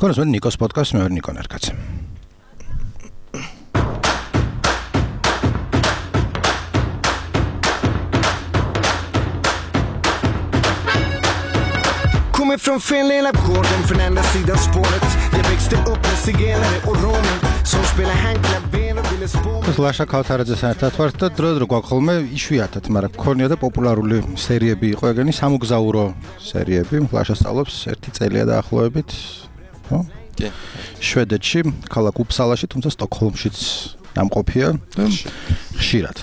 Konus mən Nikos podcast მე ვარ ნიკო ნერკაცი. Kommer från Finland upp gården från andra sidan spåret. Jag växte upp med zigenare och romer som spelar handklaver och ville spå. ლაშა ქავთარაძეს ერთად ვართ და დრო გვაქვს ხოლმე იშვიათად, მაგრამ ქონია და პოპულარული სერიები იყო ეგენი სამოგზაურო სერიები. ლაშა სწავლობს ერთი წელია დაახლოებით, ხო? კი. შვედეთში, ქალაქ უფსალაში, თუმცა სტოკჰოლმშიც დამყოფია და ხშირად.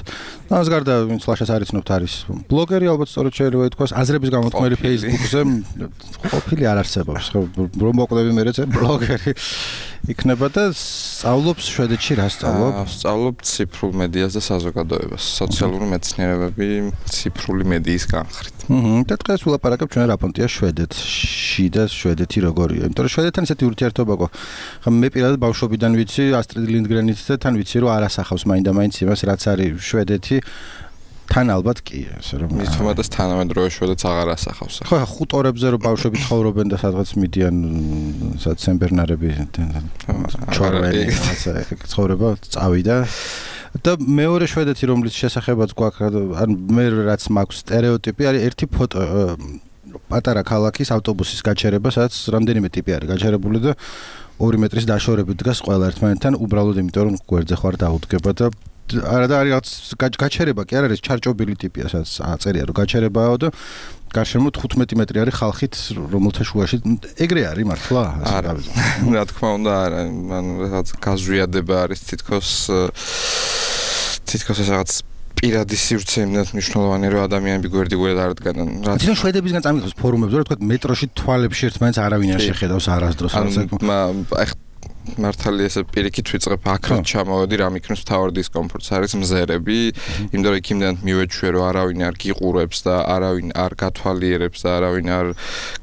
ამას გარდა ვინც ლაშას არ იცნობთ არის ბლოგერი, ალბათ სწორედ შეიძლება ითქვას, აზრების გამოთქმელი Facebook-ზე ყოფილი არ არსებობს, ხო, რომ მოკვდები მეც ბლოგერი იქნება და სწავლობს შვედეთში რა სწავლობს? სწავლობ ციფრულ მედიას და საზოგადოებას, სოციალური მეცნიერებები ციფრული მედიის განხრით. და დღეს ვილაპარაკებ ჩვენ რა პონტია შვედეთში და შვედეთი როგორია, იმიტომ რომ შვედეთთან ისეთი ურთიერთობა გვაქვს. ხა მე პირადად ბავშვობიდან ვიცი ასტრიდ ლინდგრენით და თან ვიცი რომ არ ასახავს მაინდა-მაინც იმას რაც არის შვედეთი. თან ალბათ კი, ასე რომ მithumetes თანამედროვე შვედეთს აღარ ასახავს. ხო, ხუტორებზე რომ ბავშვები ცხოვრობენ და სადღაც მიდიან სემბერნარები ჩორვენი, ასე ცხოვრება წავიდა. და მეორე შვედეთი რომლის შესახებაც გვაქვს, ან მე რაც მაქვს სტერეოტიპი არის ერთი ფოტო პატარა ქალაქის ავტობუსის გაჩერება, სადაც რამდენიმე ტიპი არის გაჩერებული და 2 მეტრის დაშორებით დგას ყველა ერთმანეთთან, უბრალოდ იმიტომ რომ გვერდზე ხარ დაუდგება და არა და არის რაღაც გაჩერება კი არ არის ჩარჭობილი ტიპია, სადაც აწერია რომ გაჩერებაო და გარშემო 15 მეტრი არის ხალხით, რომელთა შუაში ეგრე არის მართლა? არა, რა თქმა უნდა არა, მან რაღაც გაზვიადება არის თითქოს რაღაც პირადი სივრცე იმდენად მნიშვნელოვანი რომ ადამიანები გვერდ-გვერდ არ დგანან. თვითონ შვედებისგან წამიღოს ფორუმებზე, რომ თქვა მეტროში თვალებში ერთმანეთს არავინ არ შეხედავს არასდროს. მართალია ესე პირიქით ვიწყებ აქაც ჩამოვედი რა მიქნევს თავარ დისკომფორტს არის მზერები, იმიტომ რომ იქამდე მივეჩვე რომ არავინ არ გიყურებს და არავინ არ გათვალიერებს და არავინ არ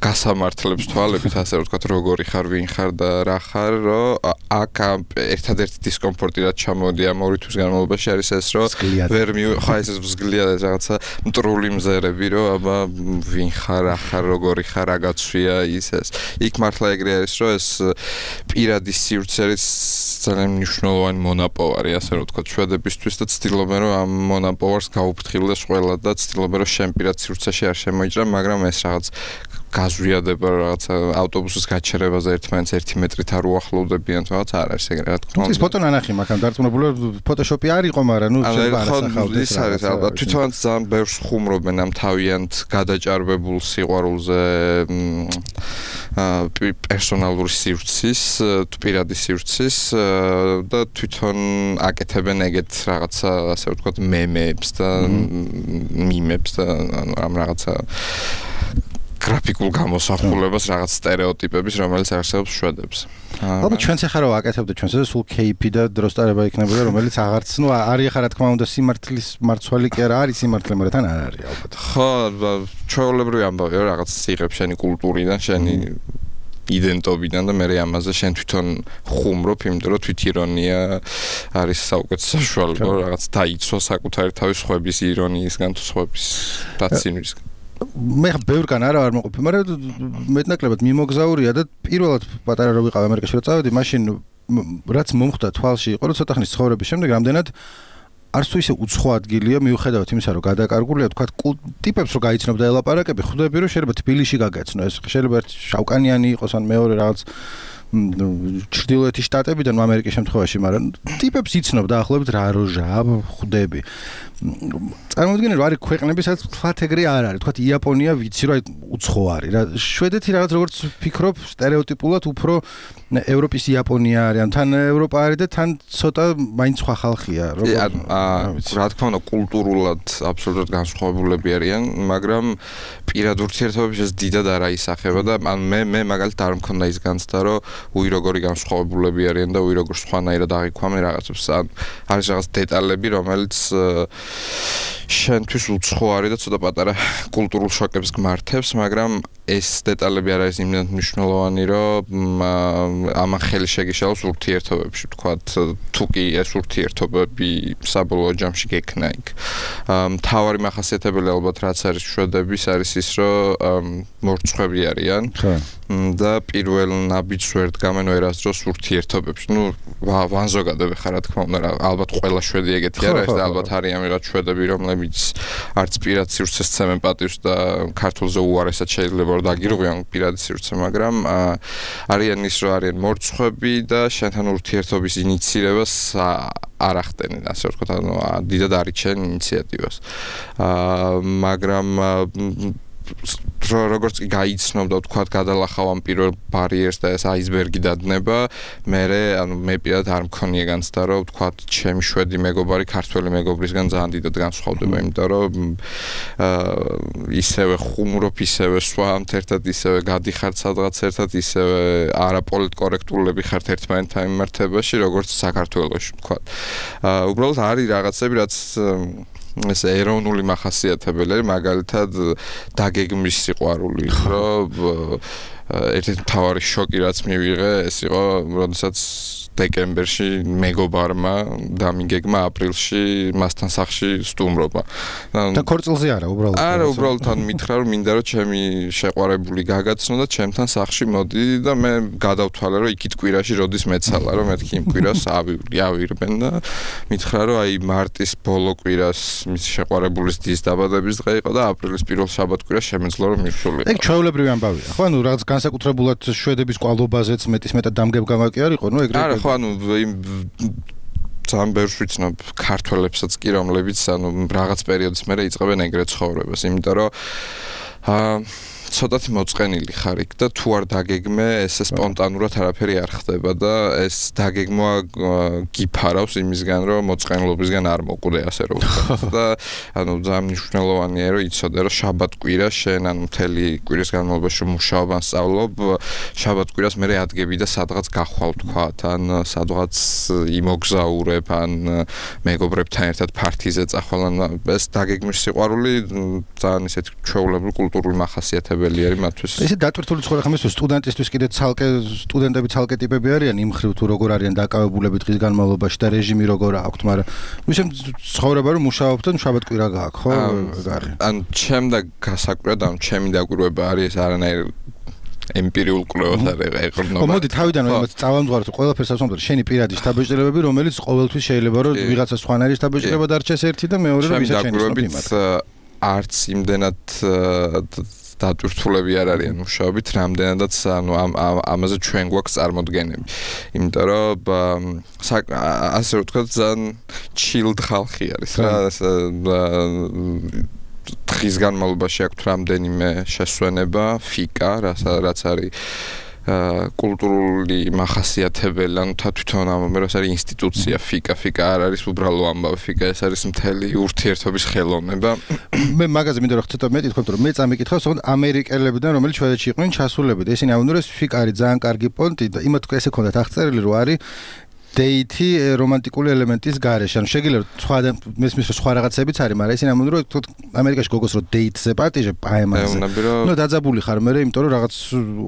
გასამართლებს თვალებით, ასე რომ ვთქვათ როგორი ხარ, ვინ ხარ და რა ხარ, რომ აქ ერთადერთი დისკომფორტი რაც ჩამოვედი ამ 2 თვის განმავლობაში არის ეს რომ ვერ ხა ეს მსგლია რაღაცა მტრული მზერები რომ აბა ვინ ხარ, რა ხარ, როგორი ხარ, რა გაცვია ის ეს. იქ მართლა ეგრე არის რომ ეს პირადი სივრცეის ძალიან მნიშვნელოვანი მონაპოვარი, ასე რომ ვთქვათ, შვედებისთვის და ცდილობენ რომ ამ მონაპოვარს გაუფრთხილდეს ყველა და ცდილობენ რომ შენ პირად სივრცეში არ შემოიჭრა, მაგრამ ეს რაღაც გაზვიადება რაღაცა ავტობუსის გაჩერებაზე ერთმანეთს 1 მეტრით არ უახლოვდებიან, რაღაც არ არის ეგრე რა თქმა უნდა. ის ფოტო ნანახი მაგან დარწმუნებული ფოტოშოპი არ იყო, მაგრამ ნუ შეიძლება არ ასახავდეს. ის არის ალბათ თვითონაც ძალიან ბევრს ხუმრობენ ამ თავიანთ გადაჭარბებულ სიყვარულზე პერსონალური სივრცის, პირადი სივრცის და თვითონ აკეთებენ ეგეთ რაღაცა, ასე ვთქვათ, მემებს და მიმებს და ამ რაღაცა გრაფიკულ გამოსახულებას, რაღაც სტერეოტიპების, რომელიც არსებობს შვედებს. ალბათ ჩვენც ახლა რა ვაკეთებდეთ, ჩვენს ეს სულ кейპი და დროსტარება იქნებოდა, რომელიც აღარც, ნუ არის ახლა რა თქმა უნდა სიმართლის მარცვალი კი არა არის სიმართლე, მაგრამ თან არ არის ალბათ. ხო, ჩვეულებრივი ამბავია რაღაც იღებ შენი კულტურიდან, შენი იდენტობიდან და მე ამაზე შენ თვითონ ხუმრობ, იმიტომ რომ თვითირონია არის საუკეთესო საშუალება, რაღაც დაიცვა საკუთარი თავის ხვების ირონიისგან თუ ხვების დაცინვისგან. მე ბევრგან არა ვარ მოყოფილი, მაგრამ მეტნაკლებად მიმოგზაურია და პირველად პატარა რო ვიყავ ამერიკაში რო წავედი, მაშინ რაც მომხდა თვალში იყო, რომ ცოტა ხნის ცხოვრების შემდეგ რამდენად არც თუ ისე უცხო ადგილია, მიუხედავად იმისა, რომ გადაკარგულია, თქვა ტიპებს რო გაიცნობ და ელაპარაკები, ხვდები რომ შეიძლება თბილისში გაგეცნო, ეს შეიძლება ერთი შავკანიანი იყოს, ან მეორე რაღაც ჩრდილოეთის შტატებიდან ამერიკის შემთხვევაში, მაგრამ ტიპებს იცნობ დაახლოებით რა როჟაა, ხვდები. წარმოიდგინე რომ არის ქვეყნები, სადაც თვათ ეგრე არ არის, თქვათ იაპონია ვიცი რომ უცხო არის რა. შვედეთი რაღაც როგორც ფიქრობ სტერეოტიპულად უფრო ევროპის იაპონია არის, ან თან ევროპა არის და თან ცოტა მაინც სხვა ხალხია, რა თქმა უნდა კულტურულად აბსოლუტურად განსხვავებულები არიან, მაგრამ პირად ურთიერთობებში ეს დიდად არ აისახება და მე მაგალითად არ მქონდა ის განცდა რომ უი როგორი განსხვავებულები არიან და უი როგორ სხვანაირად აღიქვამენ რაღაცებს. არის რაღაც დეტალები, რომელიც შენთვის უცხო არის და ცოტა პატარა კულტურულ შოკებს გმართებს, მაგრამ ეს დეტალები არ არის იმდენად მნიშვნელოვანი, რომ ამან ხელი შეგიშალოს ურთიერთობებში, ვთქვათ, თუ კი ეს ურთიერთობები საბოლოო ჯამში გექნა იქ. მთავარი მახასიათებელი ალბათ რაც არის შვედების არის ის, რომ მორცხვები არიან და პირველ ნაბიჯს ვერ დგამენ ვერასდროს ურთიერთობებში. ნუ ვანზოგადებ ხარ რა თქმა უნდა, ალბათ ყველა შვედი ეგეთი არ არის და ალბათ არიან ვიღაც შვედები, რომლებიც არც პირად სივრცეს სცემენ პატივს და ქართულზე უარესად შეიძლება რომ დაგირღვიონ პირადი სივრცე, მაგრამ არიან ის რომ არიან მორცხვები და შენთან ურთიერთობის ინიციირებას არ ახდენენ, ასე ვთქვათ, ანუ დიდად არიჩენ ინიციატივას. მაგრამ როგორც კი გაიცნობ და ვთქვათ გადალახავ ამ პირველ ბარიერს და ეს აისბერგი დადნება, მე პირადად არ მქონია განცდა, რომ ვთქვათ, ჩემი შვედი მეგობარი ქართველი მეგობრისგან ძალიან დიდად განსხვავდება, იმიტომ რომ ისევე ხუმრობ, ისევე სვამთ ერთად, ისევე გადიხართ სადღაც ერთად, ისევე არაპოლიტკორექტულები ხართ ერთმანეთთან მიმართებაში, როგორც საქართველოში, ვთქვათ. უბრალოდ არის რაღაცები, რაც ეს ეროვნული მახასიათებელი, მაგალითად დაგეგმვის სიყვარული, რომ ერთ-ერთი მთავარი შოკი რაც მივიღე, ეს იყო, როდესაც დეკემბერში მეგობარმა დამიგეგმა აპრილში მასთან სახლში სტუმრობა. და ქორწილზე არა, უბრალოდ. არა, უბრალოდ თან მითხრა, რომ მინდა რომ ჩემი შეყვარებული გაგაცნო და ჩემთან სახლში მოდი და მე გადავთვალე, რომ იქით კვირაში როდის მეცალა, რომ მეთქი იმ კვირას ავირბენ და მითხრა, რომ აი მარტის ბოლო კვირას მის შეყვარებულის დის დაბადების დღე იყო და აპრილის პირველ შაბათ-კვირას შემეძლო რომ მივსულიყო. ეგ ჩვეულებრივი ამბავია. ხო, ანუ რაღაც განსაკუთრებულად შვედების კვალობაზეც მეტისმეტად დამგებგავი კი არ იყო, ნუ ეგრე. არა, ხო, ანუ ძალიან ბევრს ვიცნობ ქართველებსაც კი, რომლებიც ანუ რაღაც პერიოდის მერე იწყებენ ეგრეთ ცხოვრებას, იმიტომ რომ ცოტათი მოწყენილი ხარ იქ და თუ არ დაგეგმე, ესე სპონტანურად არაფერი არ ხდება და ეს დაგეგმვა გიფარავს იმისგან, რომ მოწყენილობისგან არ მოკვდე, ასე რომ ვთქვათ. და ანუ ძალიან მნიშვნელოვანია, რომ იცოდე, რომ შაბათ-კვირა შენ ანუ მთელი კვირის განმავლობაში მუშაობ ან სწავლობ, შაბათ-კვირას მერე ადგები და სადღაც გახვალ, ვთქვათ, ან სადღაც იმოგზაურებ, ან მეგობრებთან ერთად პარტიზე წახვალ, ან ეს დაგეგმვის სიყვარული ძალიან ისეთი ჩვეულებრივი კულტურული მახასიათებელი არის მათთვის. ესე დატვირთული ცხოვრება ხომ ის სტუდენტისთვის კიდე სტუდენტები ცალკე ტიპები არიან იმ ხრივ თუ როგორ არიან დაკავებულები დღის განმავლობაში და რეჟიმი როგორ აქვთ, მაგრამ ისე ცხოვრება რომ მუშაობთ და შაბათ-კვირა გააქვს, ხო? ან ჩემ და გასაკვირად, ან ჩემი დაკვირვება არის ეს არანაირ ემპირიულ კვლევას არ ეყრდნობა. მოდი თავიდან იმას წავამძღვაროთ, ყველაფერს ასვამოთ, შენი პირადი შთაბეჭდილებები, რომელიც ყოველთვის შეიძლება რომ ვიღაცა სხვანაირი შთაბეჭდილება დარჩეს ერთი და მეორე რომ ისე შენი არც იმდენად დატვირთულები არ არიან მუშაობით, რამდენადაც ანუ ამაზე ჩვენ გვაქვს წარმოდგენები. იმიტომ რომ ასე ვთქვათ, ძალიან chilled ხალხი არის რა, დღის განმავლობაში აქვთ რამდენიმე შესვენება, ფიკა, რაც არის კულტურული მახასიათებელი, ანუ თვითონ ამეროს არის ინსტიტუცია ფიკა არ არის უბრალო ამბავი ფიკა, ეს არის მთელი ურთიერთობის ხელოვნება. მე მაგაზე მინდა რომ ცოტა მეტი თქვენ, რომ მე წამიკითხავს, თქო ამერიკელებიდან, რომელი შვედეთში იყვნენ ჩასულები და ისინი ამბობენ, რომ ფიკა არის ძალიან კარგი პონტი და იმათ ესე ქონდათ აღწერილი, რომ არის დეითი რომანტიკული ელემენტის გარეშე. ანუ შეგიძლიათ სხვა მესმის სხვა რაღაცებიც არის, მაგრამ ისინი ამბობენ, რომ ამერიკაში გოგოს რო დეითზე პარტიჟე პაემაზე. ნუ დაძაბული ხარ მე, იმიტომ რომ რაღაც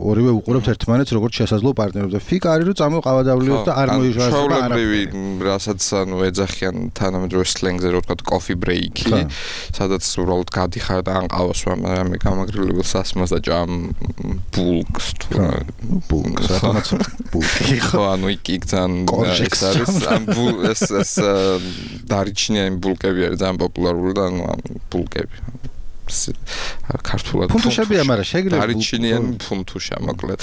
ორივე უყურებთ ერთმანეთს როგორც შესაძლო პარტნიორებს და ფიკა არის რომ წამოყავადავლიოთ და არ მოიშვასება არაფერი. რასაც ანუ ეძახიან თანამედროვე სლენგზე რო ვთქვათ coffee break-ი, სადაც უბრალოდ გადიხარ და ან ყავას ვამე გამაგრილებელ სასმელს და ჭამ ბულკს თუ ბულკს რატომაც ბულკი ხო ანუ იქ ძალიან ეს არის ეს დარიჩნიანი ბულკები არის ძალიან პოპულარული და ანუ ბულკები ქართულად ფუნთუშებია, მაგრამ შეგიძლიათ დარიჩნიანი ფუნთუშა მოკლედ.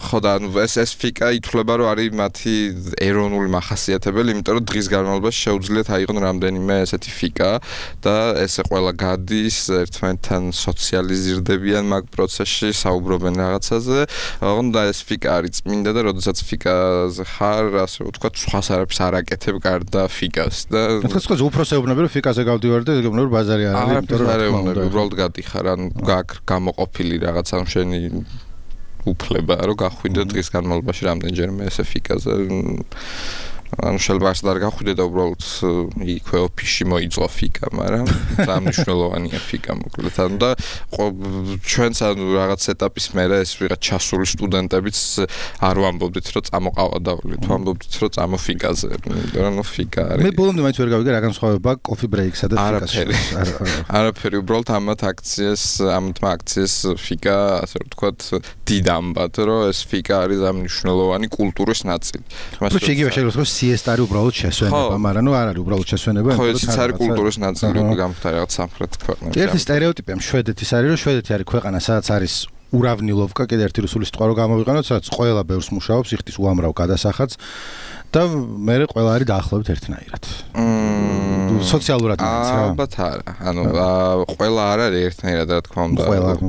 ხო და ანუ ეს ფიკა ითვლება რომ არის მათი ეროვნული მახასიათებელი, იმიტომ რომ დღის განმავლობაში შეუძლიათ აიღონ რამდენიმე ესეთი ფიკა და ესე ყველა გადის ერთმანეთთან სოციალიზირდებიან მაგ პროცესში, საუბრობენ რაღაცაზე. და ეს ფიკა არის წმინდა და როდესაც ფიკაზე ხარ, ასე ვთქვათ, სხვას არაფერს არ აკეთებ გარდა ფიკას და თქოს უფროსეუბნები რომ ფიკაზე გავდივარ და ეგ რომ ბაზარი არ არის, იმიტომ რომ უბრალოდ გადიხარ, ან გაქვს გამოყოფილი რაღაც ამ შენი უფლება, რომ გახვიდე დღის განმავლობაში რამდენჯერმე ესე ფიკაზე. ანუ შეიძლება არ გახვიდე და უბრალოდ იქვე ოფისში მოიწყო ფიკა, მაგრამ სამნიშნელოვანია ფიკა მოკლედ. ანუ და ჩვენც ანუ რაღაც ეტაპის მერე ეს ვიღაც ჩასული სტუდენტებიც არ ვამბობდით, რომ წამოყავა დავლით, ვამბობდით, რომ წამოფიკაზე. იმიტომ რომ ფიკა არის. მე ბოლომდე მაინც ვერ გავიგე რა განსხვავება კოფი ბრეიკსა და ფიკას. არაფერი, უბრალოდ ამათ აქციას ფიკა, ასე ვთქვათ, დიდ ამბად, რომ ეს ფიკა არის ამნიშნელოვანი კულტურის ნაწილი. თუმცა იგივე შეიძლება რომ სიესტა არის უბრალოდ შესვენება, მაგრამ ნუ არ არის უბრალოდ შესვენება, ხო, ეს არის კულტურის ნაწილი, გამხდარი რაღაც სამხრეთ ქვეყნებში. ერთი სტერეოტიპია შვედეთის არის, რომ შვედეთი არის ქვეყანა, სადაც არის ურავნილოვკა, კიდე ერთი რუსული სიტყვა რო გამოვიყენოთ, სადაც ყველა ბევრს მუშაობს, იხდის უამრავ გადასახადს და მე ყველა არის დაახლოებით ერთნაირად. სოციალურად მაინც რა. ალბათ არა. ანუ ყველა არ არის ერთნაირად, რა თქმა უნდა.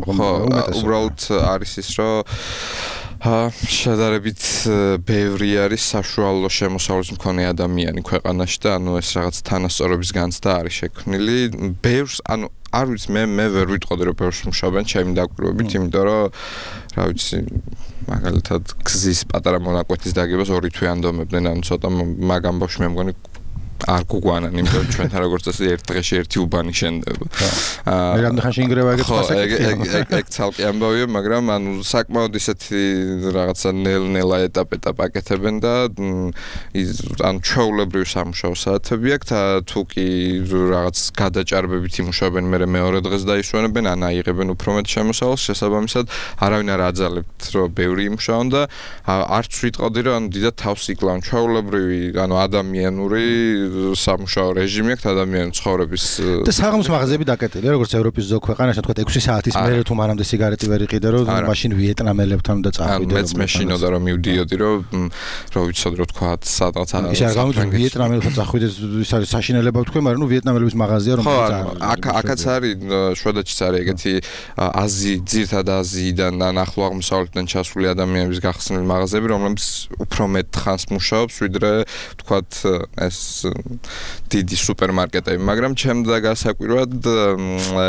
ხო, უბრალოდ არის ის, რომ შედარებით ბევრი არის საშუალო შემოსავლის მქონე ადამიანი ქვეყანაში და ანუ ეს რაღაც თანასწორობის განცდა არის შექმნილი. ბევრს ანუ არ ვიცი მე ვერ ვიტყოდი რომ ბევრს მუშაობენ ჩემი დაკვირვებით, იმიტომ რომ რა ვიცი მაგალითად გზის პატარა მონაკვეთის დაგებას 2 თვე ანდომებდნენ, ანუ ცოტა მაგ ამბავში მე მგონი არ გუგვანან, იმიტომ რომ ჩვენთან როგორც წესი ერთ დღეში ერთი უბანი შენდება. მე რამდენ ხანში ინგრევა ეგეც ეგ ცალკე ამბავია, მაგრამ ანუ საკმაოდ ისეთი რაღაცა ნელ-ნელა ეტაპ აკეთებენ და ანუ ჩვეულებრივ სამუშაო საათები აქვს და თუ კი რაღაც გადაჭარბებით იმუშავებენ, მე მეორე დღეს დაისვენებენ, ან აიღებენ უფრო მეტ შემოსავალს, შესაბამისად არავინ არ აძალებთ, რომ ბევრი იმუშაონ და არც ვიტყოდი, რომ ანუ დიდად თავს იკლავენ ჩვეულებრივი, ანუ ადამიანური სამუშაო რეჟიმი აქვს ადამიანის ცხოვრების და საღამოს მაღაზიები დაკეტილია, როგორც ევროპის ზოგ ქვეყანაში, თქვა 6 საათის მერე თუ მანამდე სიგარეტი ვერ იყიდე, რომ მაშინ ვიეტნამელებთან და წავიდე. მეც მეშინოდა რომ მივდიოდი, რომ ვიცოდი რომ თქვა სადღაც ის არ გამიგვი ვიეტნამელებთან წახვიდე, ის არის საშინელება თქვენ, მაგრამ ნუ ვიეტნამელების მაღაზია რომ აქაც არის შვედეთშიც არის ეგეთი ძირთად აზიიდან ან ახლო აღმოსავლეთიდან ჩასული ადამიანების გახსნილი მაღაზიები, რომლებიც უფრო მეტ ხანს მუშაობს, ვიდრე თქვათ ეს დიდი სუპერმარკეტები, მაგრამ ჩემდა გასაკვირად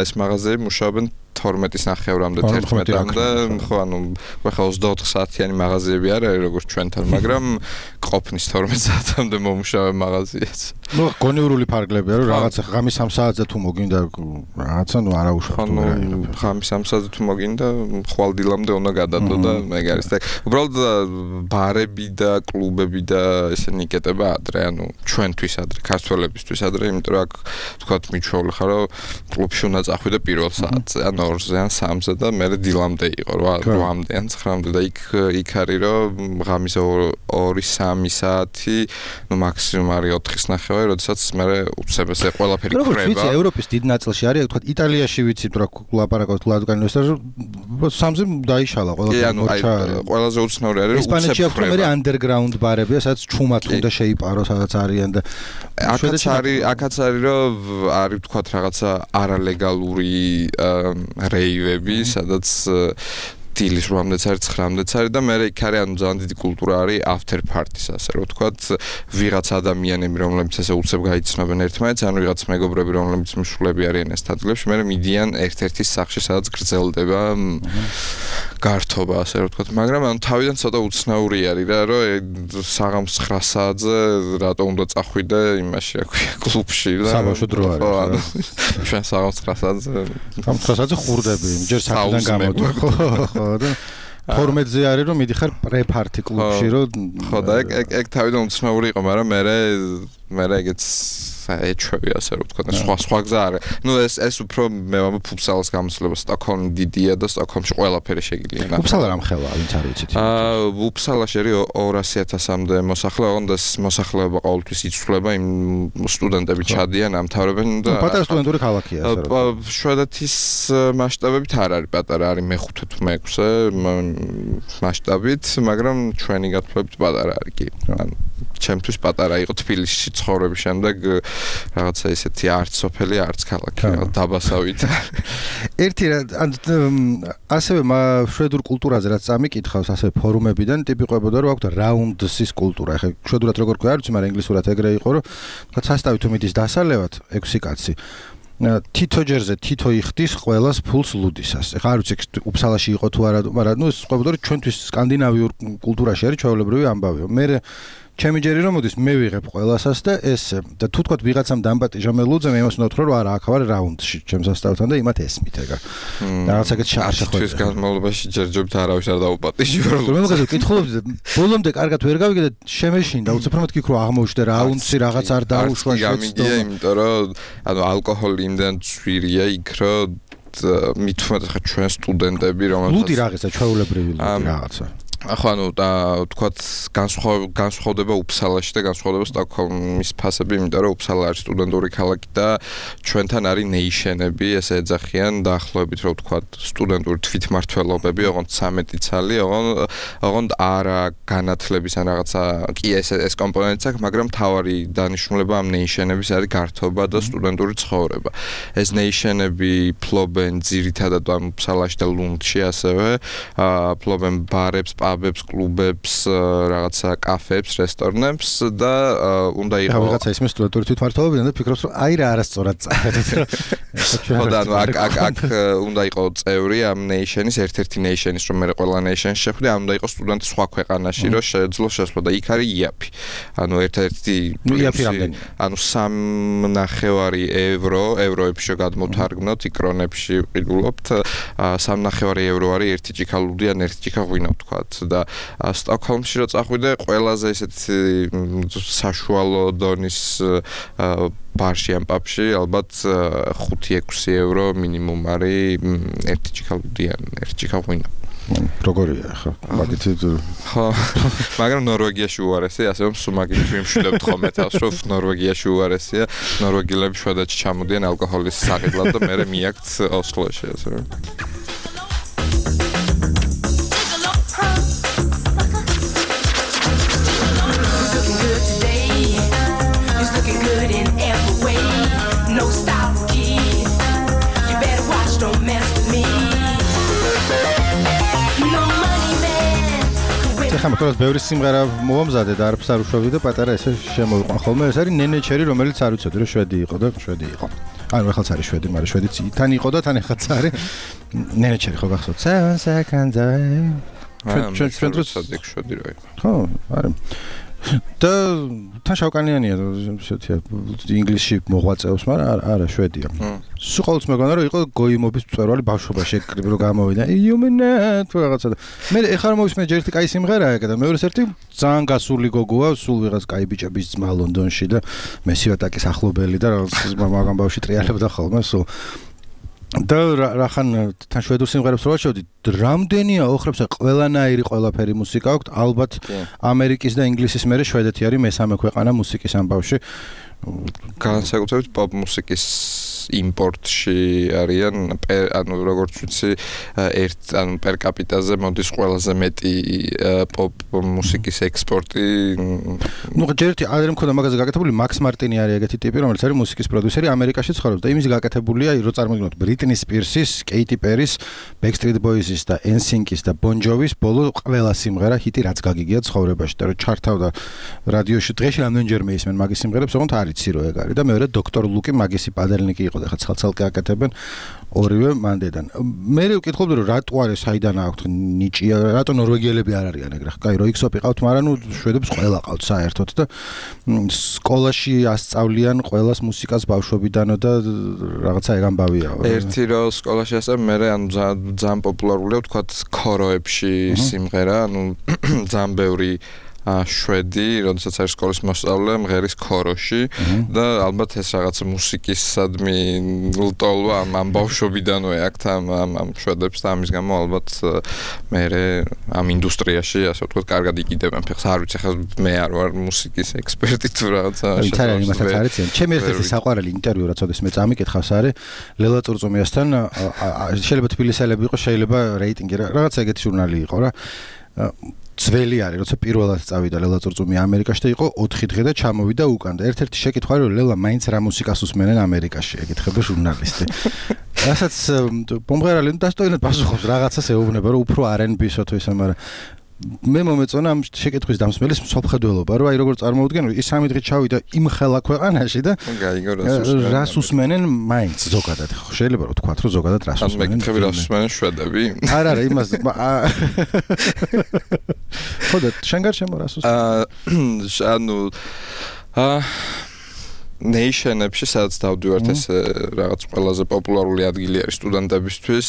ეს მაღაზიები მუშაობენ 12-ის ნახევრამდე 11-მდე, ხო, ანუ ხა 24 საათიანი მაღაზიები არ არის როგორც ჩვენთან, მაგრამ ყოფნის 12 საათამდე მომუშავე მაღაზიაც. ნუ გონივრული ფარგლებია, რომ რაღაცა ღამის 3 საათზე თუ მოგინდა რაღაცა, ნუ არა უშავთ. ანუ ღამის 3 საათზე თუ მოგინდა, ხვალდილამდე უნდა გადადო და ეგ არის და უბრალოდ ბარები და კლუბები და ესენი იკეტება ადრე, ანუ ჩვენთვის ადრე, ქართველებისთვის ადრე, იმიტომ რომ აქ თქვათ მიჩვეული ხარ, რომ კლუბში უნდა წახვიდე პირველ საათზე, ან 2-ზე ან 3-ზე და მე დილამდე იყო 8-მდე ან 9-მდე და იქ არის რომ ღამის 2-3 საათი, ნუ მაქსიმუმ არის 4-ის ნახევარი, როდესაც მე უცებ ესე ყველაფერი ხრება. როგორც ვიცი, ევროპის დიდ ნაწილში არის, თქვა იტალიაში ვიცი, რა ლაპარაკობთ ლადგანი ეს 3-ზე დაიშალა ყველაფერი. ყველაზე უცნაური არის რომ უცებ ესპანეთში აქვს მე underground ბარებია, სადაც ჩუმად უნდა შეიპარო, სადაც არიან და აქაც არის რომ არის თქვა რაღაცა არალეგალური რეივები, სადაც დილის 8-მდეც არის, 9-მდეც არის და მე იქ არის ანუ ძალიან დიდი კულტურა არის after party-ს, ასე რომ ვთქვათ, ვიღაც ადამიანები, რომლებიც ესე უცებ გაიცნობენ ერთმანეთს, ანუ ვიღაც მეგობრები, რომლებიც მსვლები არიან ეს ადგილებში, მე მიდიან ერთ-ერთის სახლში, სადაც გრძელდება გართობა, ასე რომ ვთქვათ, მაგრამ ანუ თავიდან ცოტა უცნაური არის რა, რომ საღამოს 9 საათზე რატო უნდა წახვიდე იმაში, რა ქვია, კლუბში და საბავშვო დრო არის. ჩვენ საღამოს 9 საათზე 9 საათზე ხურდები, ჯერ საქმიდან გამოდი, ხო. და 12-ზე არის რომ მიდიხარ პრეპარტი კლუბში რომ ხო და ეგ თავიდან უცნაური იყო, მაგრამ მე ეგეც ეჩვევი ასე რომ ვთქვა, სხვა გზა არის. ნუ ეს უფრო მე ვამბობ ფუფსალას გამოსვლება, სტოკჰოლმი დიდია და სტოკჰოლმში ყველაფერი შეგიძლია. ფუფსალა რამ ხელაა, ვინც არ ვიცით. ფუფსალაში არის 200,000-მდე მოსახლე, ოღონდ ეს მოსახლეობა ყოველთვის იცვლება, იმ სტუდენტები ჩადიან, ამთავრებენ და პატარა სტუდენტური ქალაქია ასე რომ. შვედეთის მასშტაბებით არ არის პატარა, არის მე-5 თუ მე-6 მასშტაბით, მაგრამ ჩვენი გათვლებით პატარა არის კი. ანუ ჩემთვის პატარა იყო თბილისში ცხოვრების შემდეგ რაღაცა ისეთი არც სოფელი, არც ქალაქი, დაბასავით. ერთი ასევე შვედურ კულტურაზე რაც წამიკითხავს, ასევე ფორუმებიდან ტიპიყვებოდა რომ აქვს რაუნდსის კულტურა. ეხლა შვედურად როგორ ქვია, არ ვიცი, მაგრამ ინგლისურად ეგრე იყო, რომ თქვა სასტავი თუ მიდის დასალევად 6 კაცი. თითო ჯერზე თითო იხდის ყველას ფულს ლუდისას. ეხლა არ ვიცი უფსალაში იყო თუ არა, მაგრამ ნუ ეს ყვებოდა რომ ჩვენთვის სკანდინავიურ კულტურაში არის ჩვეულებრივი ამბავი. მე ჩემი ჯერი რომ მოდის მე ვიღებ ყველასას და ესე და თუ თქვა ვიღაცამ დამპატიჟა მე ლუძემ იმას უნდა ვთქვა რომ არა აქ ვარ რაუნდში ჩემს სასწაულთან და იმათ ესმით ეგა რაღაცაკეთ შეხოთი ის განმავლობაში ჯერჯერობით არავის არ დაუპატიჟე რომ მე მოგეძებ კითხულობდი ბოლომდე კარგად ვერ გავიგე და შემეშინდა უცებ რომ მეთქი რომ აღმოჩნდა რაუნდში რაღაც არ დაუშვა შეცდომა იმიტომ რომ ანუ ალკოჰოლი იმდან ძვირია იქ რომ მithumet ხა ჩვენ სტუდენტები რომელთაც ლუდი რაღაცა ჩვეულებრივი რაღაცა ახლა ანუ თქვათ განსხვავდება უფსალაში და განსხვავდება სტოკჰოლმის ფასები, იმიტომ რომ უფსალა არის სტუდენტური ქალაქი და ჩვენთან არის ნეიშენები, ესე ეძახიან დაახლოებით რომ თქვათ სტუდენტური თვითმმართველობები, ოღონდ 13 ცალი, ოღონდ არა განათლების ან რაღაცა კი ეს კომპონენტიც აქვს, მაგრამ მთავარი დანიშნულება ამ ნეიშენების არის გართობა და სტუდენტური ცხოვრება. ეს ნეიშენები ფლობენ ძირითადად ამ უფსალაში და ლუნდში ასევე, ფლობენ ბარებს, პაბებს, კლუბებს, რაღაცა კაფეებს, რესტორნებს და უნდა იყოს რაღაცა ისმე სტუდენტური თვითმმართველობიდან და ფიქრობს რომ აი რა არასწორად წავედით. ხო და ანუ აქ უნდა იყოს წევრი ამ ნეიშენის, ერთ-ერთი ნეიშენის, რომ მე ყველა ნეიშენს შეხვდი, ამ უნდა იყოს სტუდენტი სხვა ქვეყანაში, რომ შეძლო შესვლა და იქ არის იაფი. ანუ ერთ-ერთი იაფი რამდენი? ანუ 3.5 ევროებში გადმოვთარგმნოთ, იქ კრონებში ვყიდულობთ, 3.5 евро არის ერთი ჭიქა ლუდი ან ერთი ჭიქა ღვინო ვთქვათ. და სტოკჰოლმში რო წახვიდე ყველაზე ესეთი საშუალო დონის ბარში ან პაბში ალბათ 5-6 евро მინიმუმ არის ერთი ჭიქა ლუდი ან ერთი ჭიქა ღვინო. როგორია ხო? მაგით ხო. მაგრამ ნორვეგიაში უარესია, ასე რომ სულ მაგით ვიმშვიდებთ ხოლმე თავს, რომ ნორვეგიაში უარესია, ნორვეგიელები შვედეთში ჩამოდიან ალკოჰოლის საყიდლად და მერე მიაქვთ ოსლოში, ასე რომ. ხომ თორეს ბევრი სიმღერა მომზადე და არაფერს არ უშვებდი და პატარა ესე შემოვიყვან ხოლმე ეს არის ნენე ჩერი რომელიც არ ვიცოდი რომ შვედი იყო და შვედი იყო ანუ ეხლაც არის შვედი მაგრამ შვედიც თან იყო და თან ეხლაც არის ნენე ჩერი ხო გახსოვთ 7 seconds ჩვენ დროს შვედი რო იყო ხო არის და თან შავკანიანია ესეთია ინგლისში მოღვაწეობს მაგრამ არა შვედია სულ ყოველთვის მეგონა რომ იყო გოიმობის მწვერვალი ბავშვობაში ეკრიბ რომ გამოვიდა იუმენა თუ რაღაცა და მე ეხლა რომ მოვისმენე ჯერ ერთი კაი სიმღერაა ეგ და მეორეს ერთი ძალიან გასული გოგოა სულ ვიღაც კაი ბიჭების ძმა ლონდონში და მესიატაკის ახლობელი და რაღაც მაგამ ბავშვი ტრიალებდა ხოლმე სულ და რახან თან შვედურ სიმღერებს რო ვაჩვევდი რამდენია ოხრებს ყველანაირი ყველაფერი მუსიკა აქვს ალბათ ამერიკის და ინგლისის მერე შვედეთი არის მესამე ქვეყანა მუსიკის ამბავში განსაკუთრებით პოპ მუსიკის იმპორტში არიან ანუ როგორც ვიცი ანუ პერ კაპიტაზე მოდის ყველაზე მეტი პოპ მუსიკის ექსპორტი ნუ ჯერტი არ მქონდა მაგაზე გაკეთებული მაქს მარტინი არის ეგეთი ტიპი რომელიც არის მუსიკის პროდიუსერი ამერიკაში ცხოვრობს და იმის გაკეთებულია რო წარმოგიდგენთ ბრიტნი სპირსის, კეიტი პერის, ბექსტრიტ ბოიზის და NSYNC-ის და ბონ ჯოვის ბოლო ყველა სიმღერა ჰიტი რაც გაგიგია ცხოვრებაში და რო ჩართავდა რადიოში დღეში რამდენჯერმე ისმენ მაგის სიმღერებს ოღონდ არ იცი რო ეგ არის და მეორე დოქტორ ლუკი მაგისი პადელნიკი იყო და ხა ცალ-ცალკე აკეთებენ ორივე მანდედან. მე ვკითხულობდი რომ რატო არის საიდან აქვთ ნიჭია, რატო ნორვეგიელები არ არიან ეგრე. კაი, რო იქსოპი ყავთ, მაგრამ ნუ შვედებს ყველა ყავთ საერთოდ და სკოლაში ასწავლიან ყველას მუსიკას ბავშვობიდანო და რაღაცა ეგ ამბავია. ერთი რო სკოლაში ასწავლე, მე ანუ ძალიან პოპულარულია ვთქვათ ქოროებში სიმღერა, ანუ ძალიან ბევრი შვედი, როდესაც არის სკოლის მოსწავლე, მღერის ქოროში და ალბათ ეს რაღაც მუსიკისადმი ლტოლვა ამ ბავშვობიდანვე აქვთ ამ შვედებს და ამის გამო ალბათ მე ამ ინდუსტრიაში ასე ვთქვათ კარგად იკიდებენ ფეხს. არ ვიცი ხა მე არ ვარ მუსიკის ექსპერტი თუ რაღაცა შეიძლება იმასაც არ იციან. ჩემი ერთ-ერთი საყვარელი ინტერვიუ რაც ოდეს მე წამიკითხავს არის ლელა წურწუმიასთან შეიძლება თბილისელები იყო, შეიძლება რეიტინგი რაღაცა ეგეთი ჟურნალი იყო რა. ძველი არის, როცა პირველად წავიდა ლელა წურწუმი ამერიკაში და იყო 4 დღე და ჩამოვიდა უკან და ერთ-ერთი შეკითხვა რომ ლელა მაინც რა მუსიკას უსმენენ ამერიკაში, ეკითხება ჟურნალისტი. რასაც მომღერალი დასტოინად პასუხობს, რაღაცას ეუბნება რომ უფრო R&B-სო თუ ისე, მაგრამ მე მომეწონა ამ შეკითხვის დამსმელის მსოფლმხედველობა, რომ აი როგორ წარმოვიდგენ, ის 3 დღით ჩავიდა იმ ხელა ქვეყანაში და რას უსმენენ მაინც ზოგადად. შეიძლება რომ თქვათ, რომ ზოგადად რას უსმენენ. ან მეკითხები რას უსმენენ შვედები? არა, იმას ხოდა შენ გარშემო რას უსმენ? ნეიშენებში სადაც დავდივართ ეს რაღაც ყველაზე პოპულარული ადგილი არის სტუდენტებისთვის